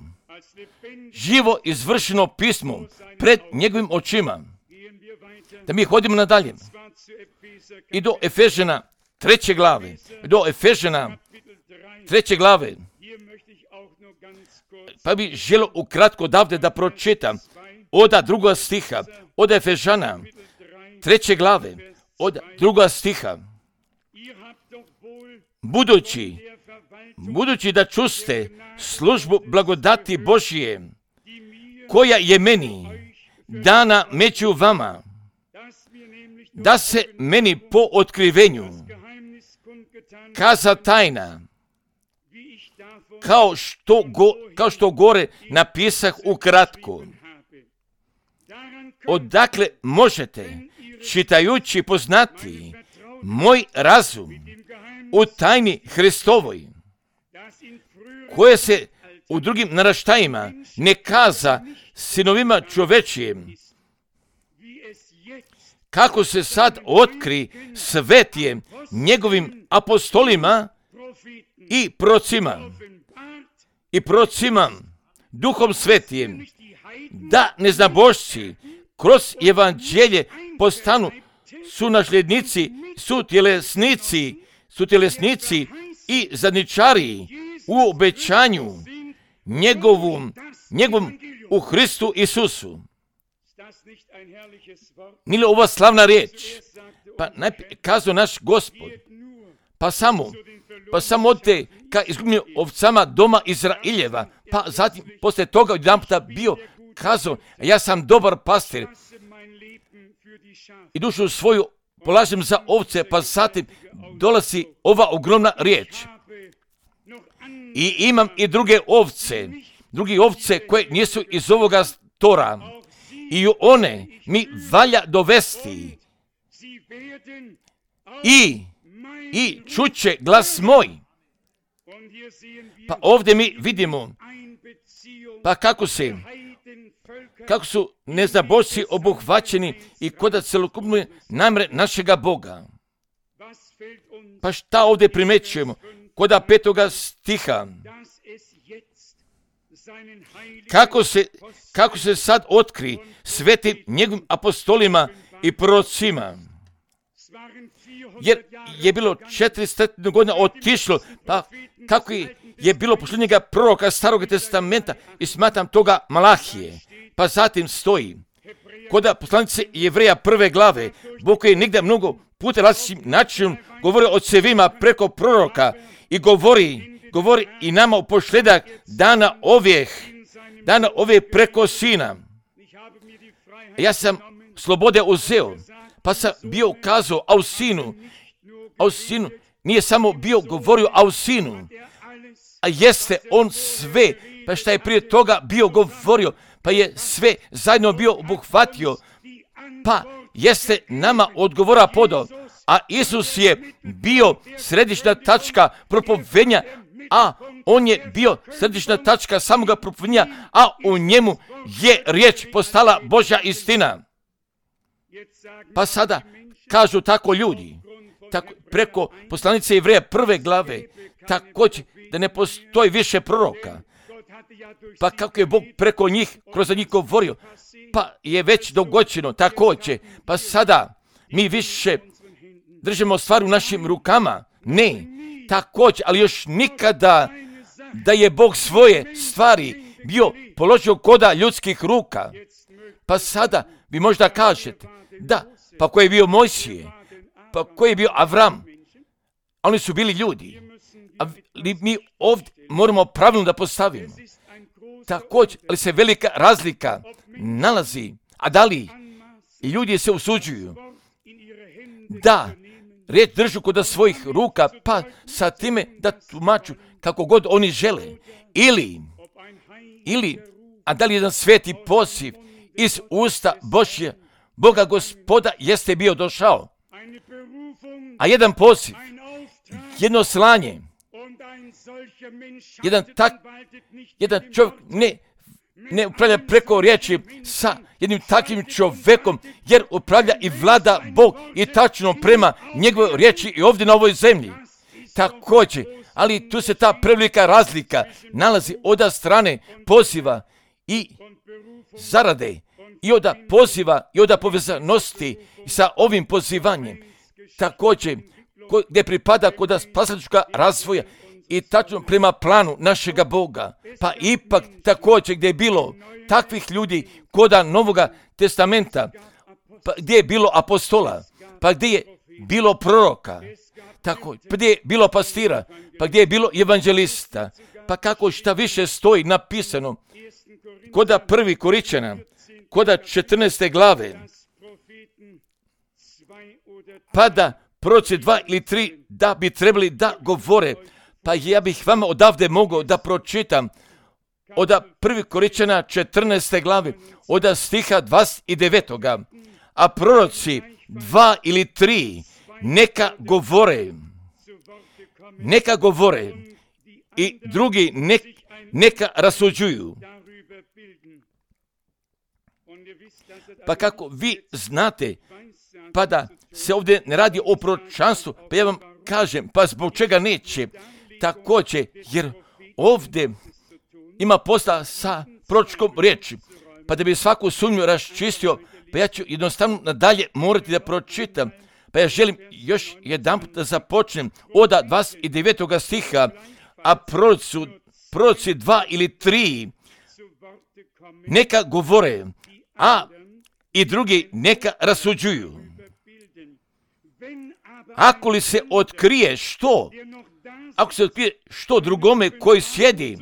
[SPEAKER 1] živo izvršeno pismo pred njegovim očima. Da mi hodimo nadalje i do Efežana treće glave, do Efežana treće glave, pa bi želio ukratko odavde da pročitam od drugoga stiha, od Efežana treće glave, od drugoga stiha. Budući, budući da čuste službu blagodati Božije, koja je meni dana među vama, da se meni po otkrivenju kaza tajna, kao što, go, kao što gore napisah ukratko. Odakle možete, čitajući, poznati moj razum u tajni Hristovoj, koje se u drugim naraštajima ne kaza sinovima čovečijim, kako se sad otkri svetije njegovim apostolima i procima, i procima duhom svetijem, da neznabošci kroz evanđelje postanu sunasljednici, sutjelesnici, sutjelesnici i zadničari u obećanju njegovom, njegovom u Hristu Isusu. Nije li ova slavna riječ? Pa najprije kazao naš Gospod, pa samo, pa samo odte ka izgubljenim ovcama doma Izraeljeva, pa zatim poslije toga odjedanputa bio kazao, ja sam dobar pastir i dušu svoju polažem za ovce, pa zatim dolazi ova ogromna riječ. I imam i druge ovce, drugi ovce koje nisu iz ovoga tora, i one mi valja dovesti i, i čuće glas moj. Pa ovdje mi vidimo, pa kako se, kako su neznabošci obuhvaćeni i koda celokupne namre našega Boga. Pa šta ovdje primećujemo? Koda petoga stiha. Kako se, kako se sad otkri svetim njegovim apostolima i prorocima. Jer je bilo četiristo godina otišlo, pa kako je bilo posljednjega proroka Starog testamenta i smatram toga Malahije. Pa zatim stoji, koda poslanice Jevreja prve glave, Bog koji je negdje mnogo puta različitim načinom govori o cevima preko proroka i govori, govori i nama u posljedak dana ovih, dana ove preko sina. Ja sam slobode uzeo, pa sam bio ukazao, a u sinu, a u sinu, nije samo bio govorio, a u sinu, a jeste on sve, pa šta je prije toga bio govorio, pa je sve zajedno bio obuhvatio, pa jeste nama odgovora podao, a Isus je bio središnja tačka propovednja, a on je bio središnja tačka samoga propovednja, a u njemu je riječ postala Božja istina. Pa sada kažu tako ljudi, tako, preko poslanice Jevreja prve glave, također da ne postoji više proroka. Pa kako je Bog preko njih, kroz njih govorio, pa je već dogođeno također. Pa sada mi više držimo stvar u našim rukama. Ne, također, ali još nikada da je Bog svoje stvari bio položio koda ljudskih ruka. Pa sada vi možda kažete, da, pa ko je bio Mojsije, pa ko je bio Avram, oni su bili ljudi. Ali mi ovdje moramo pravilno da postavimo. Također, ali se velika razlika nalazi, a da li ljudi se usuđuju da riječ držu kod svojih ruka, pa sa time da tumaču kako god oni žele. Ili, ili, a da li jedan sveti poziv iz usta Božje, Boga Gospoda jeste bio došao. A jedan poziv, jedno slanje, jedan tak, jedan čovjek ne, ne upravlja preko riječi sa jednim takvim čovjekom, jer upravlja i vlada Bog i tačno prema njegovoj riječi i ovdje na ovoj zemlji. Također, ali tu se ta prevelika razlika nalazi od strane poziva i zarade, i od poziva i od povezanosti sa ovim pozivanjem. Također, gdje pripada kod spasateljskoga razvoja i tačno prema planu našega Boga. Pa ipak također gdje je bilo takvih ljudi koda Novoga testamenta, pa gdje je bilo apostola, pa gdje je bilo proroka, tako, pa gdje je bilo pastira, pa gdje je bilo evanđelista, pa kako šta više stoji napisano koda prvi Koričana, koda četrnaeste glave, pa da proroci dva ili tri da bi trebali da govore. Pa ja bih vama odavde mogao da pročitam od prvi Koričana četrnaeste glave, od stiha dvadeset devetog. A proroci dva ili tri neka govore, neka govore i drugi ne, neka rasuđuju. Pa kako vi znate, pa da se ovdje ne radi o proročanstvu, pa ja vam kažem, pa zbog čega neće? Također, jer ovdje ima posla sa proročkom riječi, pa da bi svaku sumnju raščistio, pa ja ću jednostavno nadalje morati da pročitam. Pa ja želim još jedan put da započnem od dvadeset devetog stiha, a proroci, proroci dva ili tri neka govore, a i drugi neka rasuđuju. Ako li se otkrije što, ako se otkrije što drugome koji sjedi,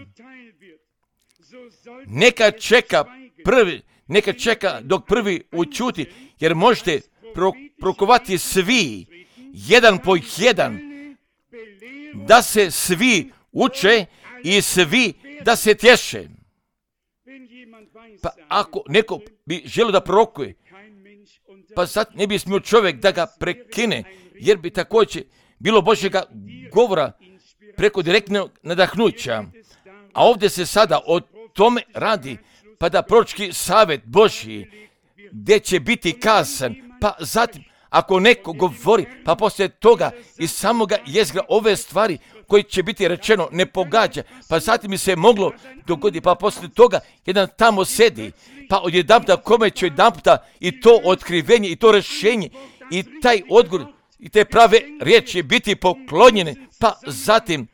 [SPEAKER 1] neka čeka prvi, neka čeka dok prvi učuti, jer možete pro, prokovati svi, jedan po jedan, da se svi uče i svi da se tješe. Pa ako neko bi želio da prorokuje, pa sad ne bi smio čovjek da ga prekine, jer bi također bilo Božjega govora preko direktnog nadahnuća. A ovdje se sada o tome radi, pa da proročki savjet Božji, gdje će biti kazan, pa zatim ako neko govori, pa poslije toga iz samoga jezgra ove stvari koji će biti rečeno ne pogađa, pa zatim bi se moglo dogoditi, pa poslije toga jedan tamo sedi, pa odjedanputa kome će odjedanputa i to otkrivenje i to rješenje i taj odgovor i te prave riječi biti poklonjene, pa zatim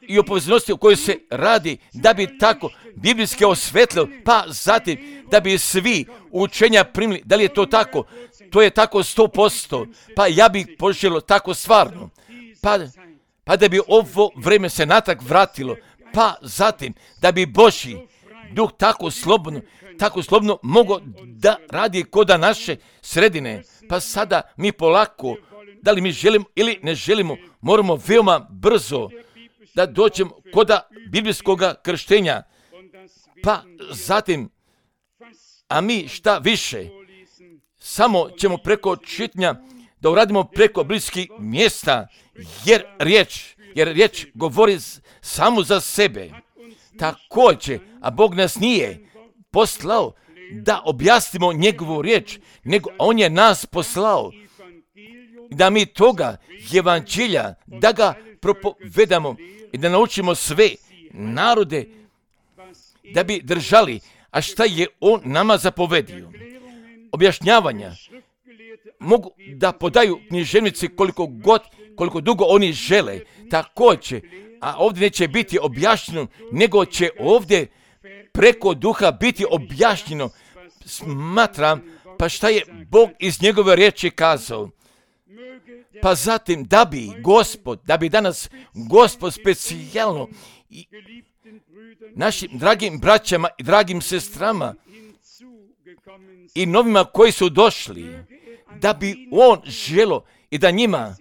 [SPEAKER 1] i o povezanosti o kojoj se radi, da bi tako biblijski osvetlio, pa zatim da bi svi učenja primili. Da li je to tako? To je tako sto posto. Pa ja bih poželio tako stvarno. Pa, pa da bi ovo vrijeme se natrag vratilo. Pa zatim da bi Božji duh tako slobodno, tako slobodno mogao da radi koda naše sredine. Pa sada mi polako, da li mi želimo ili ne želimo, moramo veoma brzo da dođemo koda biblijskog krštenja. Pa zatim, a mi šta više, samo ćemo preko čitanja da uradimo preko bliskih mjesta, jer riječ, jer riječ govori samo za sebe. Također, a Bog nas nije poslao da objasnimo njegovu riječ, nego on je nas poslao da mi toga evanđelja, da ga propovedamo i da naučimo sve narode da bi držali, a šta je on nama zapovedio. Objašnjavanja mogu da podaju književnici koliko god, koliko dugo oni žele, također, a ovdje neće biti objašnjeno, nego će ovdje preko duha biti objašnjeno. Smatram, pa šta je Bog iz njegove riječi kazao. Pa zatim, da bi Gospod, da bi danas Gospod specijalno i našim dragim braćama i dragim sestrama i novima koji su došli, da bi on želo i da njima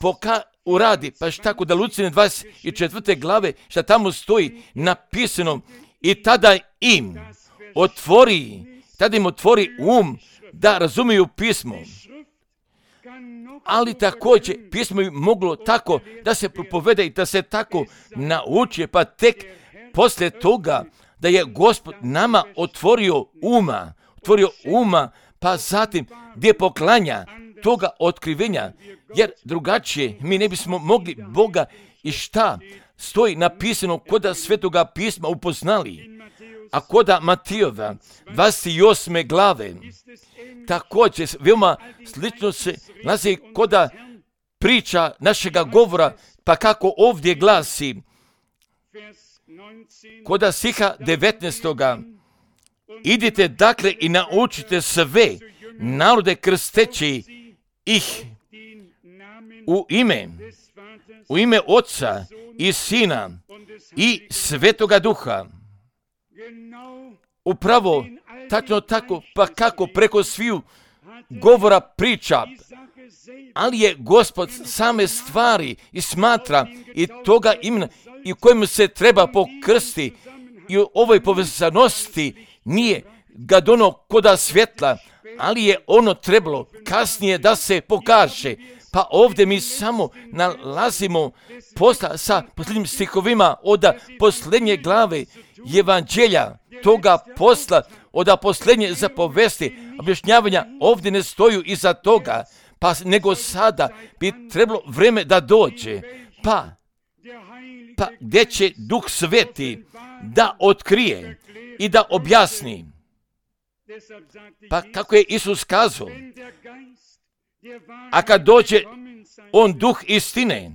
[SPEAKER 1] poka uradi, pa šta kod Lucijine dvadeset četvrte glave, šta tamo stoji napisano, i tada im otvori, tada im otvori um da razumiju pismo. Ali također pismo bi moglo tako da se propovede i da se tako nauči, pa tek poslije toga da je Gospod nama otvorio uma, otvorio uma, pa zatim gdje poklanja toga otkrivenja, jer drugačije mi ne bismo mogli Boga i šta stoji napisano koda Svetoga pisma upoznali. A koda Matijova dvadeset osme glave također veoma slično se nalazi koda priča našega govora, pa kako ovdje glasi koda stiha devetnaestoga. Idite dakle i naučite sve narode krsteći ih u ime, u ime Oca i Sina i Svetoga Duha. Upravo tačno tako, pa kako preko sviju govora priča, ali je Gospod same stvari i smatra i toga imena i u kojem se treba pokrsti i u ovoj povezanosti nije ga dono koda svjetla, ali je ono trebalo kasnije da se pokaže. Pa ovdje mi samo nalazimo posla sa posljednjim stihovima od posljednje glave evanđelja toga posla, od posljednje zapovesti, objašnjavanja ovdje ne stoju iza toga, pa nego sada bi trebalo vreme da dođe, pa, pa gdje će Duh Sveti da otkrije i da objasni. Pa kako je Isus kazao, a kad dođe on Duh istine,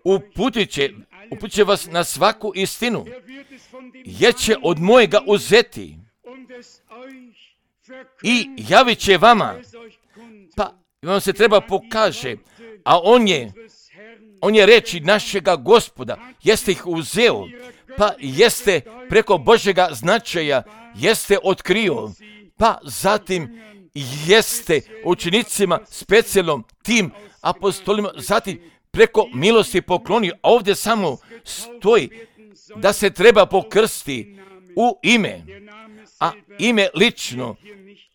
[SPEAKER 1] uputit će, uputit će vas na svaku istinu, jer će od mojega uzeti i javit će vama. Pa vam se treba pokaže, a on je, on je reči našega Gospoda, jeste ih uzeo, pa jeste preko Božjega značaja, jeste otkrio, pa zatim jeste učenicima specijalnom tim apostolima, zatim preko milosti poklonio, a ovdje samo stoji da se treba pokrsti u ime, a ime lično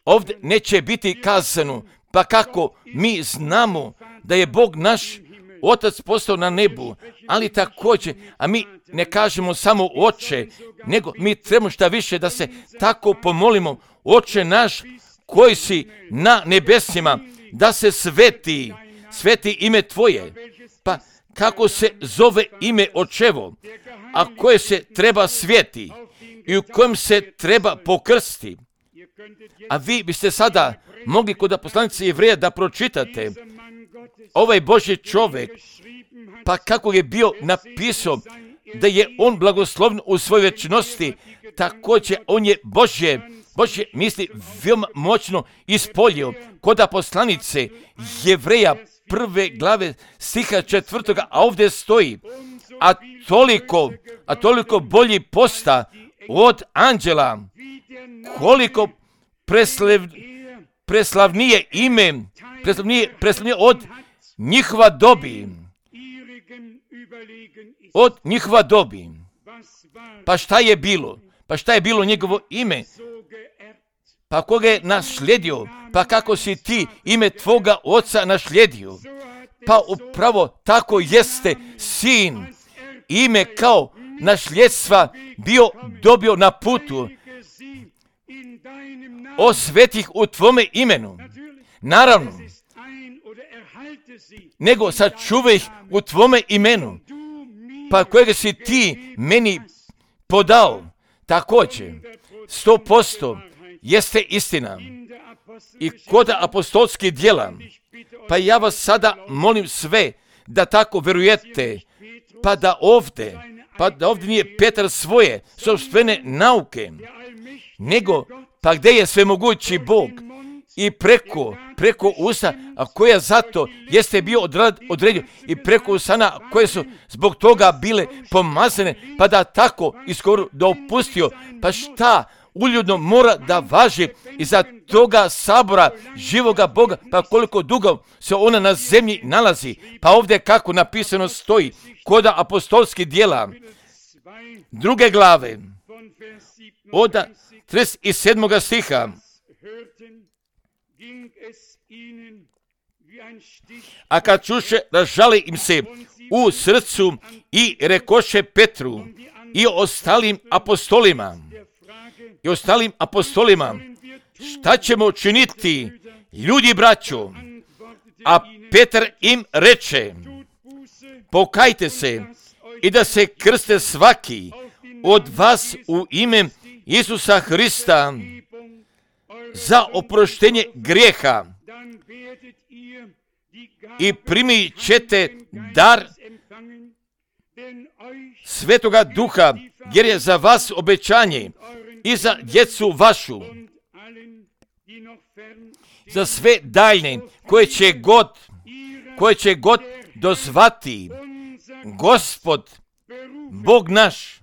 [SPEAKER 1] ovdje neće biti kazano, pa kako mi znamo da je Bog naš Otac postao na nebu, ali također, a mi ne kažemo samo Oče, nego mi trebamo šta više da se tako pomolimo, Oče naš koji si na nebesima, da se sveti, sveti ime Tvoje. Pa kako se zove ime Očevo, a koje se treba sveti i u kojem se treba pokrsti. A vi biste sada mogli kod poslanice Jevreja da pročitate ovaj Božji čovjek, pa kako je bio napisao da je on blagosloven u svojoj večnosti, također on je Božje, Božje misli veoma moćno ispolio kod poslanice Jevreja prve glave stiha četvrtoga, a ovdje stoji, a toliko, a toliko bolji posta od anđela, koliko preslav, preslavnije ime, preslavnije, preslavnije od njihova dobi, od njihova dobi. Pa šta je bilo? Pa šta je bilo njegovo ime? Pa koga je naslijedio? pa kako si ti ime tvoga oca našlijedio, pa upravo tako jeste sin ime kao našljedstva bio dobio na putu, osvetih u tvome imenu. Naravno, nego sačuvaj ih u tvome imenu, pa kojega si ti meni podao. Također, sto posto jeste istina i kod apostolskih djela. Pa ja vas sada molim sve da tako vjerujete, pa da ovdje, pa da ovdje nije Petar svoje sopstvene nauke, nego pa gdje je svemogući Bog i preko, preko usta, a koja zato jeste bio odrad, odredio i preko usana koje su zbog toga bile pomazane, pa da tako iskoro dopustio, pa šta uljudno mora da važi iza toga sabora živoga Boga, pa koliko dugo se ona na zemlji nalazi. Pa ovdje kako napisano stoji, kod apostolskih djela, druge glave, od trideset sedmog stiha. A kad čuše, ražali im se u srcu i rekoše Petru i ostalim apostolima, i ostalim apostolima, šta ćemo činiti, ljudi braćo? A Petar im reče, pokajte se i da se krste svaki od vas u ime Isusa Hrista za oproštenje grijeha i primit ćete dar Svetoga Duha, jer je za vas obećanje i za djecu vašu, za sve daljne koje će god, koje će god dozvati Gospod, Bog naš.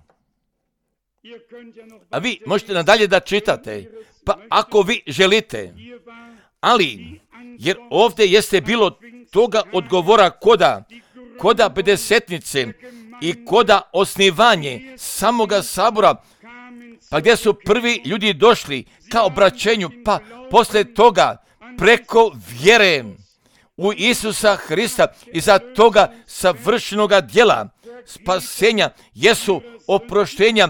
[SPEAKER 1] A vi možete nadalje da čitate, pa ako vi želite, ali, jer ovdje jeste bilo toga odgovora koda, koda pedesetnice i koda osnivanje samoga sabora, pa gdje su prvi ljudi došli ka obraćenju, pa posle toga preko vjere u Isusa Hrista i za toga savršenoga djela spasenja jesu oproštenja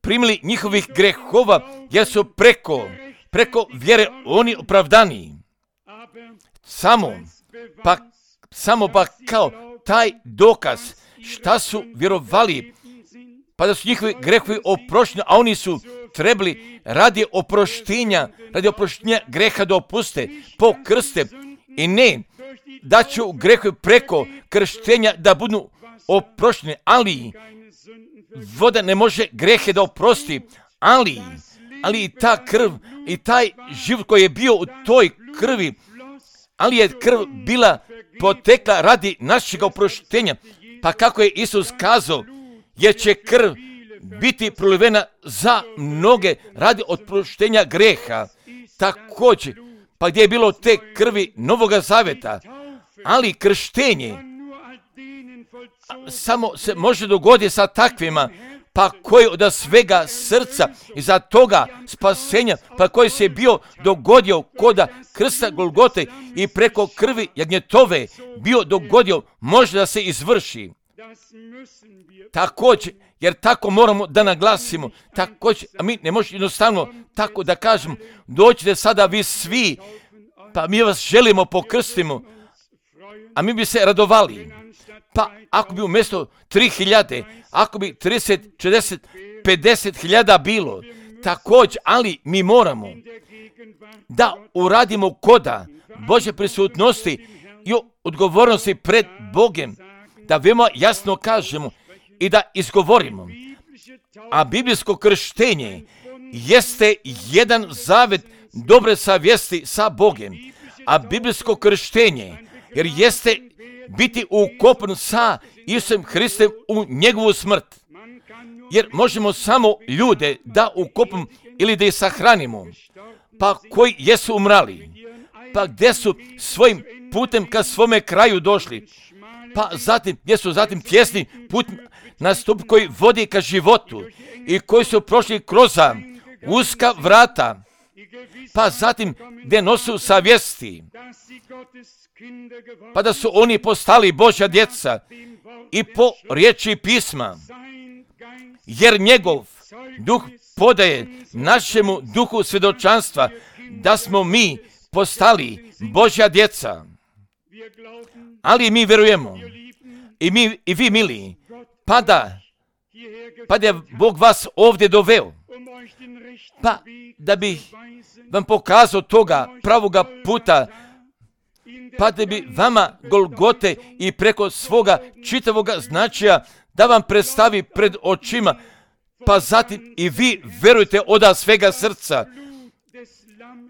[SPEAKER 1] primili njihovih grehova, jer su preko, preko vjere oni opravdani. Samo, pa, samo pa kao taj dokaz šta su vjerovali, pa da su njihovi grehovi oprošteni, a oni su trebali radi oproštenja, radi oproštenja greha da opuste, pokrste i ne da će grehovi preko krštenja da budu oprošteni, ali voda ne može grehe da oprosti, ali, ali i ta krv i taj život koji je bio u toj krvi, ali je krv bila potekla radi našeg oproštenja, pa kako je Isus kazao, jer će krv biti prolivena za mnoge radi oproštenja greha. Također, pa gdje je bilo te krvi Novoga Zaveta, ali krštenje samo se može dogoditi sa takvima, pa koji od svega srca i za toga spasenja, pa koji se bio dogodio koda krsta Golgote i preko krvi jagnjetove bio dogodio, može da se izvrši. Također, jer tako moramo da naglasimo, također, a mi ne možemo jednostavno tako da kažemo, dođite sada vi svi, pa mi vas želimo pokrstimo, a mi bi se radovali. Pa ako bi umjesto tri hiljade, ako bi trideset, četrdeset, pedeset hiljada bilo, također, ali mi moramo da uradimo koda Božje prisutnosti i odgovornosti pred Bogem, da veoma jasno kažemo i da izgovorimo. A biblijsko krštenje jeste jedan zavet dobre savjesti sa Bogem. A biblijsko krštenje, jer jeste biti ukopan sa Isusom Hristom u njegovu smrt. Jer možemo samo ljude da ukopamo ili da ih sahranimo, pa koji jesu umrali, pa gdje su svojim putem ka svome kraju došli, pa zatim, gdje su zatim tjesni put nastup koji vodi ka životu i koji su prošli kroz uska vrata, pa zatim gdje nosu savjesti, pa da su oni postali Božja djeca i po riječi pisma, jer njegov duh podaje našemu duhu svjedočanstva da smo mi postali Božja djeca. Ali mi vjerujemo, i, mi, i vi mili, pa da, pa da je Bog vas ovdje doveo, pa da bi vam pokazao toga pravoga puta, pa da bi vama Golgote i preko svoga čitavoga značaja da vam predstavi pred očima, pa zatim i vi verujete od svega srca,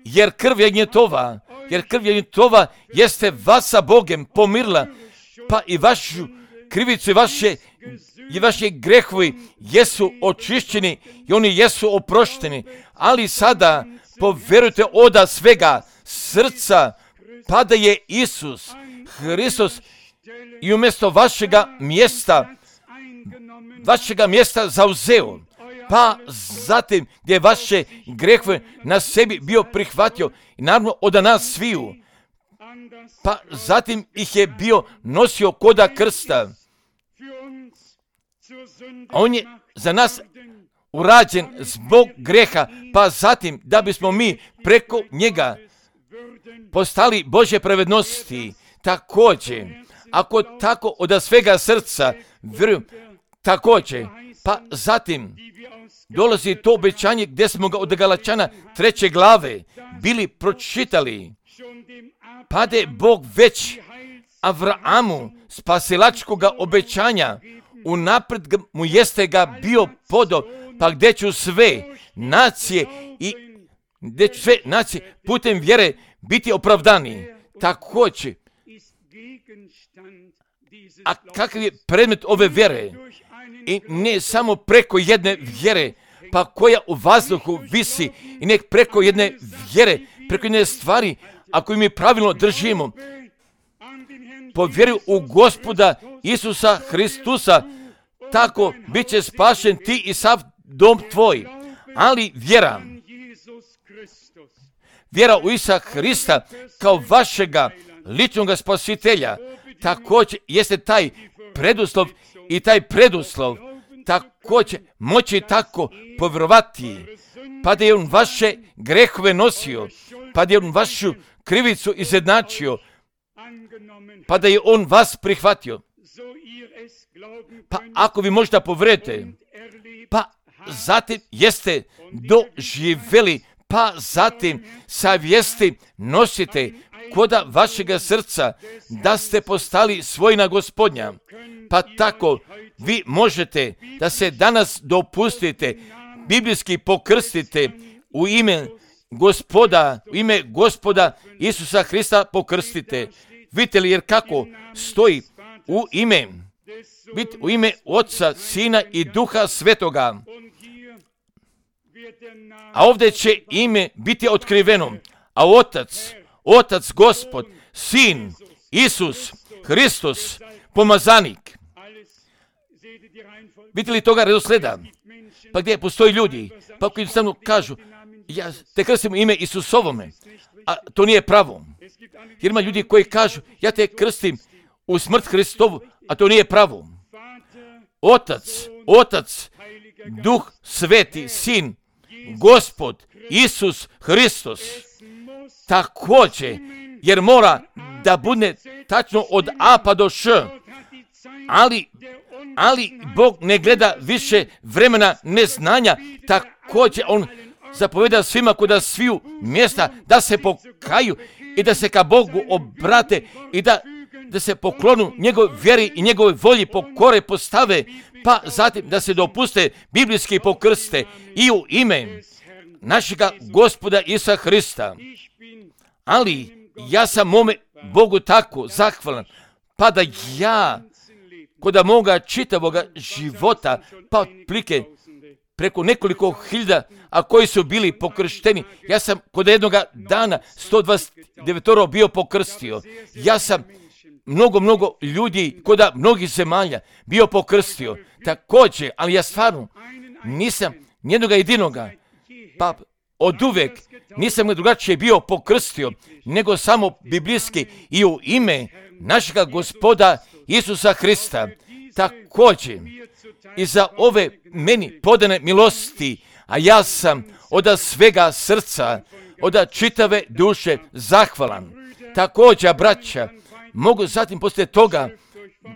[SPEAKER 1] jer krv jagnjetova, jer krv jagnjetova jeste vas sa Bogem pomirila, pa i vašu krivicu i vaše, i vaše grehovi jesu očišćeni i oni jesu oprošteni, ali sada poverujte od svega srca, pa da je Isus Hristos i umjesto vašega mjesta, vašega mjesta zauzeo, pa zatim gdje vaše grehove na sebi bio prihvatio i naravno od nas sviju, pa zatim ih je bio nosio koda krsta. On je za nas urađen zbog greha, pa zatim da bismo mi preko njega postali Božje pravednosti. Također, ako tako od svega srca vjerujem, također, pa zatim dolazi to obećanje gdje smo ga od Galačana treće glave bili pročitali, pa da je Bog već Avramu spasilačkoga obećanja unaprijed mu jeste ga bio podao, pa gdje ću sve nacije i gdje ću sve nacije putem vjere biti opravdani. Također, a kakav je predmet ove vjere? I ne samo preko jedne vjere, pa koja u vazduhu visi, i nek preko jedne vjere, preko jedne stvari, ako mi pravilno držimo, po vjeri u Gospoda Isusa Hristusa, tako bit će spašen ti i sav dom tvoj. Ali vjera, vjera u Isusa Hrista kao vašega ličnog spasitelja, također jeste taj preduslov i taj preduslov također moći tako povjerovati, pa da je on vaše grehove nosio, pa da je on vašu krivicu izjednačio, pa da je on vas prihvatio. Pa ako vi možda povjerujete, pa zatim jeste doživjeli, pa zatim savjesti nosite koda vašega srca da ste postali svojina Gospodnja, pa tako vi možete da se danas dopustite, biblijski pokrstite u ime Gospoda, u ime Gospoda Isusa Hrista pokrstite. Vidite li jer kako stoji u ime, vidite, u ime Oca, Sina i Duha Svetoga. A ovdje će ime biti otkriveno, a Otac, Otac Gospod, Sin, Isus, Hristos, pomazanik. Vidite li toga redosleda? Pa gdje postoji ljudi, pa koji jednostavno kažu, ja te krstim u ime Isusovome, a to nije pravo. Jer ima ljudi koji kažu, ja te krstim u smrt Hristovu, a to nije pravo. Otac, Otac, Duh Sveti, Sin, Gospod, Isus, Hristos. Također, jer mora da bude tačno od A pa do Š, ali, ali Bog ne gleda više vremena neznanja, također on zapoveda svima kod sviju mjesta da se pokaju i da se ka Bogu obrate i da, da se poklonu njegove vjeri i njegove volji pokore postave, pa zatim da se dopuste biblijski pokrste i u ime našega Gospoda Isusa Hrista. Ali ja sam mome Bogu tako zahvalan, pa da ja kod moga čitavoga života, pa otplike preko nekoliko hiljada, a koji su bili pokršteni, ja sam kod jednoga dana sto dvadeset devet bio pokrstio. Ja sam mnogo, mnogo ljudi kod mnogih zemalja bio pokrstio. Također, ali ja stvarno nisam nijednoga jedinoga, pa od uvek nisam ga drugačije bio pokrstio, nego samo biblijski i u ime našega Gospoda Isusa Hrista. Također i za ove meni podane milosti, a ja sam od svega srca, od čitave duše zahvalan. Također, braća, mogu zatim poslije toga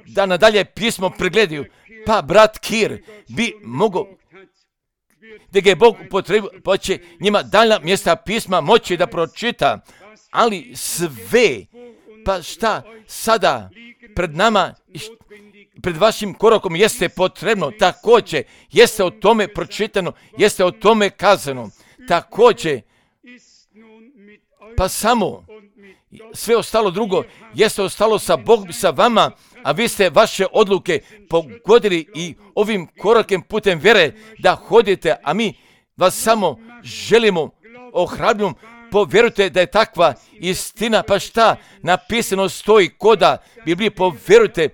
[SPEAKER 1] da nadalje pismo pregledaju, pa brat Kir bi mogao, da ga je Bog potrebio, pa će njima daljna mjesta pisma moći da pročita, ali sve, pa šta sada pred nama, pred vašim korakom jeste potrebno, također jeste o tome pročitano, jeste o tome kazano, također, pa samo sve ostalo drugo jeste ostalo sa Bogom, sa vama, a vi ste vaše odluke pogodili i ovim korakem putem vjere da hodite, a mi vas samo želimo ohrabriti. Povjerujte da je takva istina, pa šta napisano stoji koda Biblije, povjerujte,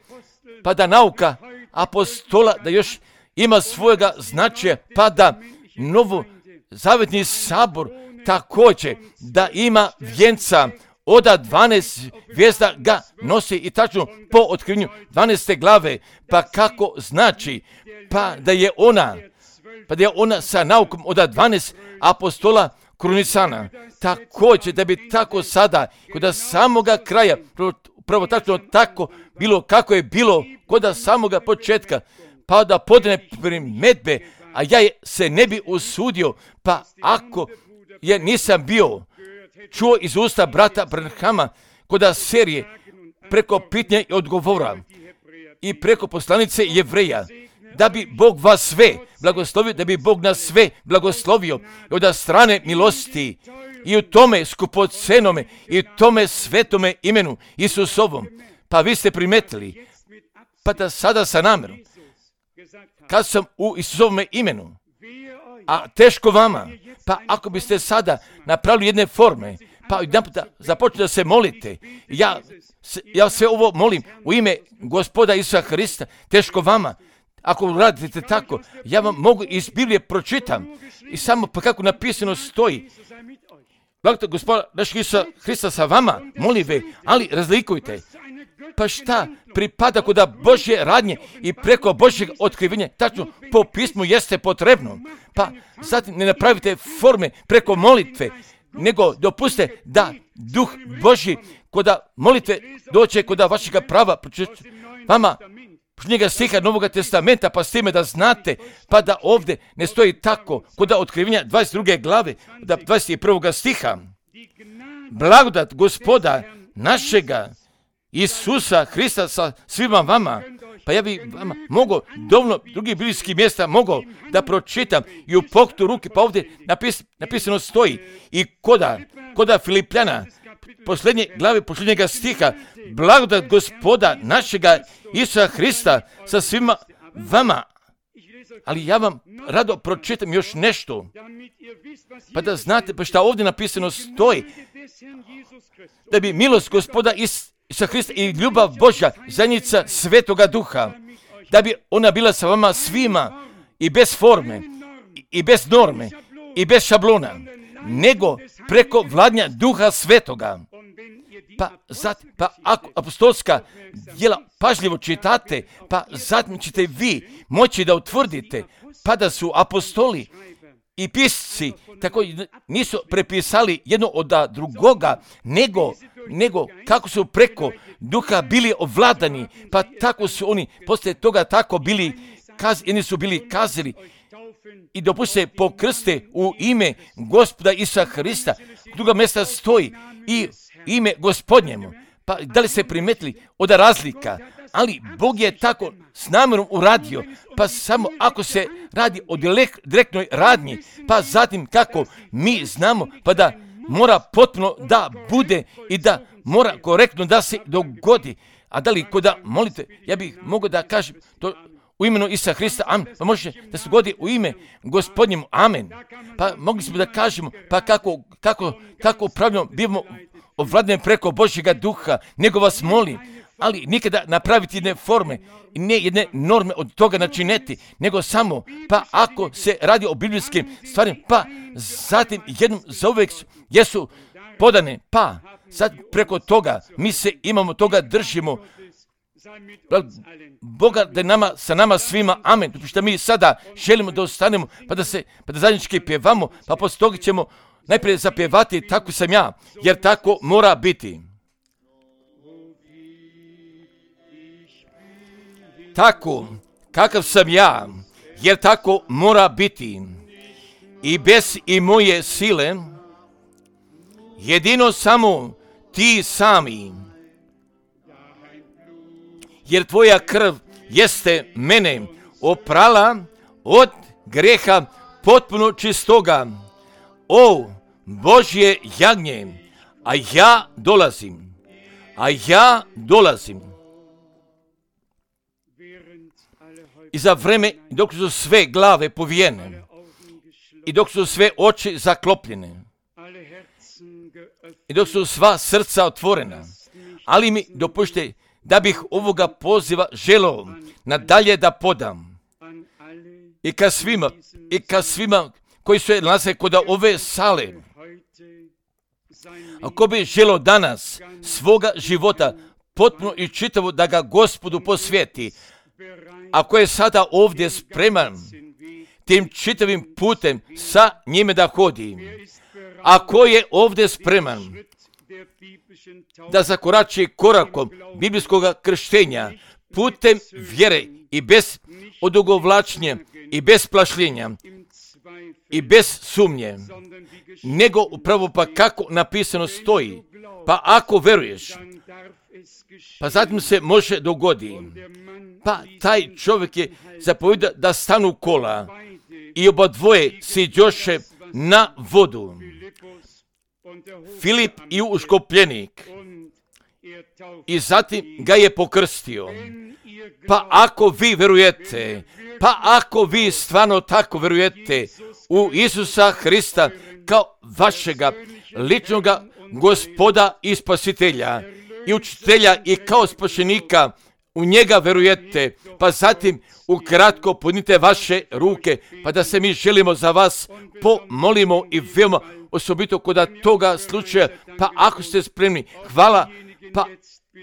[SPEAKER 1] pa da nauka apostola da još ima svojega značaja, pa da novo zavetni sabor također da ima vjenca od dvanaest zvijezda ga nosi i tačno po otkrivenju dvanaeste glave, pa kako znači, pa da je ona, pa da je ona sa naukom od dvanaest apostola krunisana, također da bi tako sada, kod samoga kraja, prvo tačno tako bilo kako je bilo kod samoga početka, pa da podne primedbe, a ja se ne bi usudio, pa ako je nisam bio čuo iz usta brata Branhama kod serije preko pitanja i odgovora i preko poslanice Jevreja, da bi Bog vas sve blagoslovio, da bi Bog nas sve blagoslovio od strane milosti i u tome skupocenome i u tome svetome imenu Isusovom. Pa vi ste primetili, pa da sada sa namjerom, kad sam u Isusovome imenu, a teško vama, pa ako biste sada napravili jedne forme, pa jedan puta započnite da se molite, ja, ja sve ovo molim u ime Gospoda Isusa Hrista, teško vama. Ako radite tako, ja vam mogu iz Biblije pročitam i samo pa kako napisano stoji. Blagodat Gospoda našeg Isusa Hrista sa vama, molive, ali razlikujte. Pa šta pripada kod Božje radnje i preko Božjeg otkrivenja, tačno po pismu jeste potrebno. Pa zatim ne napravite forme preko molitve, nego dopuste da Duh Božji kod molitve doće kod vašega prava vama njega stiha Novog testamenta, pa s time da znate, pa da ovdje ne stoji tako kod otkrivenja dvadeset druge glave, da dvadeset prvog stiha. Blagodat Gospoda našega Isusa Hrista sa svima vama. Pa ja bi vama mogao dovoljno drugih biblijskih mjesta mogao da pročitam i u pokretu ruke, pa ovdje napis, napisano stoji i koda, koda Filipljana, posljednje glave, posljednjega stiha, blagodat Gospoda našega Isusa Hrista sa svima vama. Ali ja vam rado pročitam još nešto, pa da znate pa šta ovdje napisano stoji, da bi milost Gospoda Isusa Hrista i ljubav Božja, zajednica Svetoga Duha, da bi ona bila sa vama svima i bez forme, i bez norme, i bez šablona, nego preko vladnja Duha Svetoga. Pa, zatim, pa ako apostolska djela pažljivo čitate, pa zatim ćete vi moći da utvrdite, pa da su apostoli i pisci tako nisu prepisali jedno od drugoga, nego, nego kako su preko Duha bili ovladani, pa tako su oni poslije toga tako bili, kaz, jedni su bili kazali i dopustite pokrste u ime Gospoda Isusa Hrista, druga mjesta stoji i ime Gospodnjemu. Pa da li ste primetili od razlika, ali Bog je tako s namjerom uradio, pa samo ako se radi o direktnoj radnji, pa zatim kako mi znamo, pa da mora potpuno da bude i da mora korektno da se dogodi. A da li kod molite, ja bih mogao da kažem to u imenu Isusa Hrista, amen, pa može da se dogodi u ime Gospodnjemu, amen. Pa mogli smo da kažemo, pa kako, kako, kako pravilno bivamo ovladne preko Božjega Duha, nego vas molim, ali nikada napraviti jedne forme, ne jedne norme od toga načineti, nego samo, pa ako se radi o biblijskim stvarima, pa zatim jednom zauvijek jesu podane, pa sad preko toga mi se imamo toga držimo. Boga da je nama, sa nama svima, amen. Što mi sada želimo da ostanemo, pa da se, pa da zajednički pjevamo, pa poslije toga ćemo najprije zapjevati tako sam ja, jer tako mora biti. Tako, kakav sam ja, jer tako mora biti. I bez i moje sile, jedino samo ti sami. Jer tvoja krv jeste mene oprala od greha potpuno čistoga. O Božje jagnje, a ja dolazim, a ja dolazim. I za vreme dok su sve glave povijene i dok su sve oči zaklopljene i dok su sva srca otvorena, ali mi dopušte da bih ovoga poziva želeo nadalje da podam i ka svima, i ka svima koji se nalaze kod ove sale. Ako bi želeo danas svoga života potpuno i čitavo da ga Gospodu posvijeti, ako je sada ovdje spreman tim čitavim putem sa njime da hodi, ako je ovdje spreman da zakorači korakom biblijskog krštenja putem vjere i bez odugovlačenja i bez plašljenja i bez sumnje, nego upravo pa kako napisano stoji, pa ako veruješ, pa zatim se može dogodi, pa taj čovjek je zapovjeda da stanu kola i oba dvoje siđoše na vodu. Filip i uškopljenik, i zatim ga je pokrstio. Pa ako vi verujete, pa ako vi stvarno tako verujete u Isusa Hrista kao vašega ličnoga Gospoda i Spasitelja i učitelja i kao spašenika, u njega verujete, pa zatim ukratko podnite vaše ruke, pa da se mi želimo za vas pomolimo i veoma osobito kod toga slučaja, pa ako ste spremni, hvala, pa,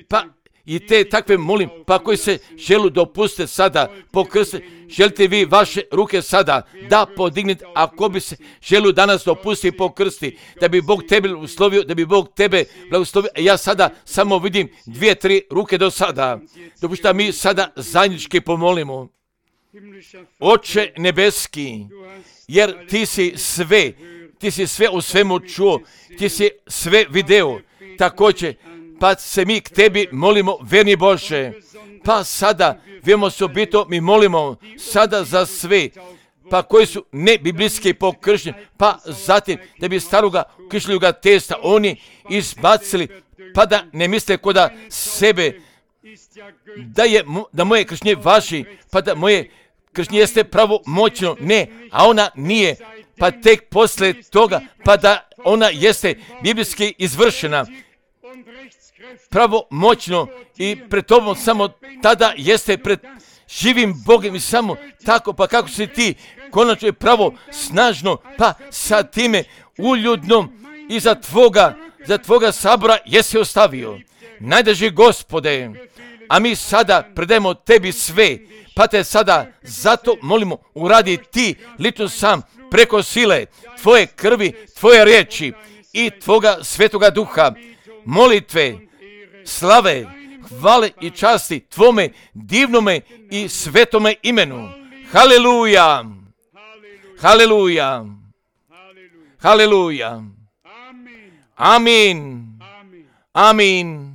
[SPEAKER 1] pa i te takve molim, pa koji se želu dopustite sada pokrste, želite vi vaše ruke sada da podignete, ako bi se želu danas dopustiti pokrsti, da bi Bog tebe blagoslovio, da bi Bog tebe blagoslovio, ja sada samo vidim dvije, tri ruke do sada, dopušta mi sada zajednički pomolimo. Oče nebeski, jer ti si sve, ti si sve u svemu čuo, ti si sve video, također, pa se mi k tebi molimo, verni Bože, pa sada, vemo osobito, mi molimo sada za sve, pa koji su ne biblijski pokršteni, pa zatim da bi staroga kršljuga testa oni izbacili, pa da ne misle koda sebe, da je da moje krštenje važi, pa da moje krštenje jeste pravo moćno, ne, a ona nije, pa tek posle toga, pa da ona jeste biblijski izvršena, pravo moćno i pred tobom samo tada jeste pred živim Bogom i samo tako, pa kako si ti konačno je pravo snažno, pa sa time uljudnom i za tvoga, za tvoga sabora jesi ostavio. Najdraži Gospode, a mi sada predajemo tebi sve, pa te sada zato molimo uradi ti lično sam preko sile tvoje krvi, tvoje riječi i tvoga svetoga duha, molitve, slave, hvale i časti tvome divnome i svetome imenu. Haleluja! Haleluja! Haleluja! Amin! Amin!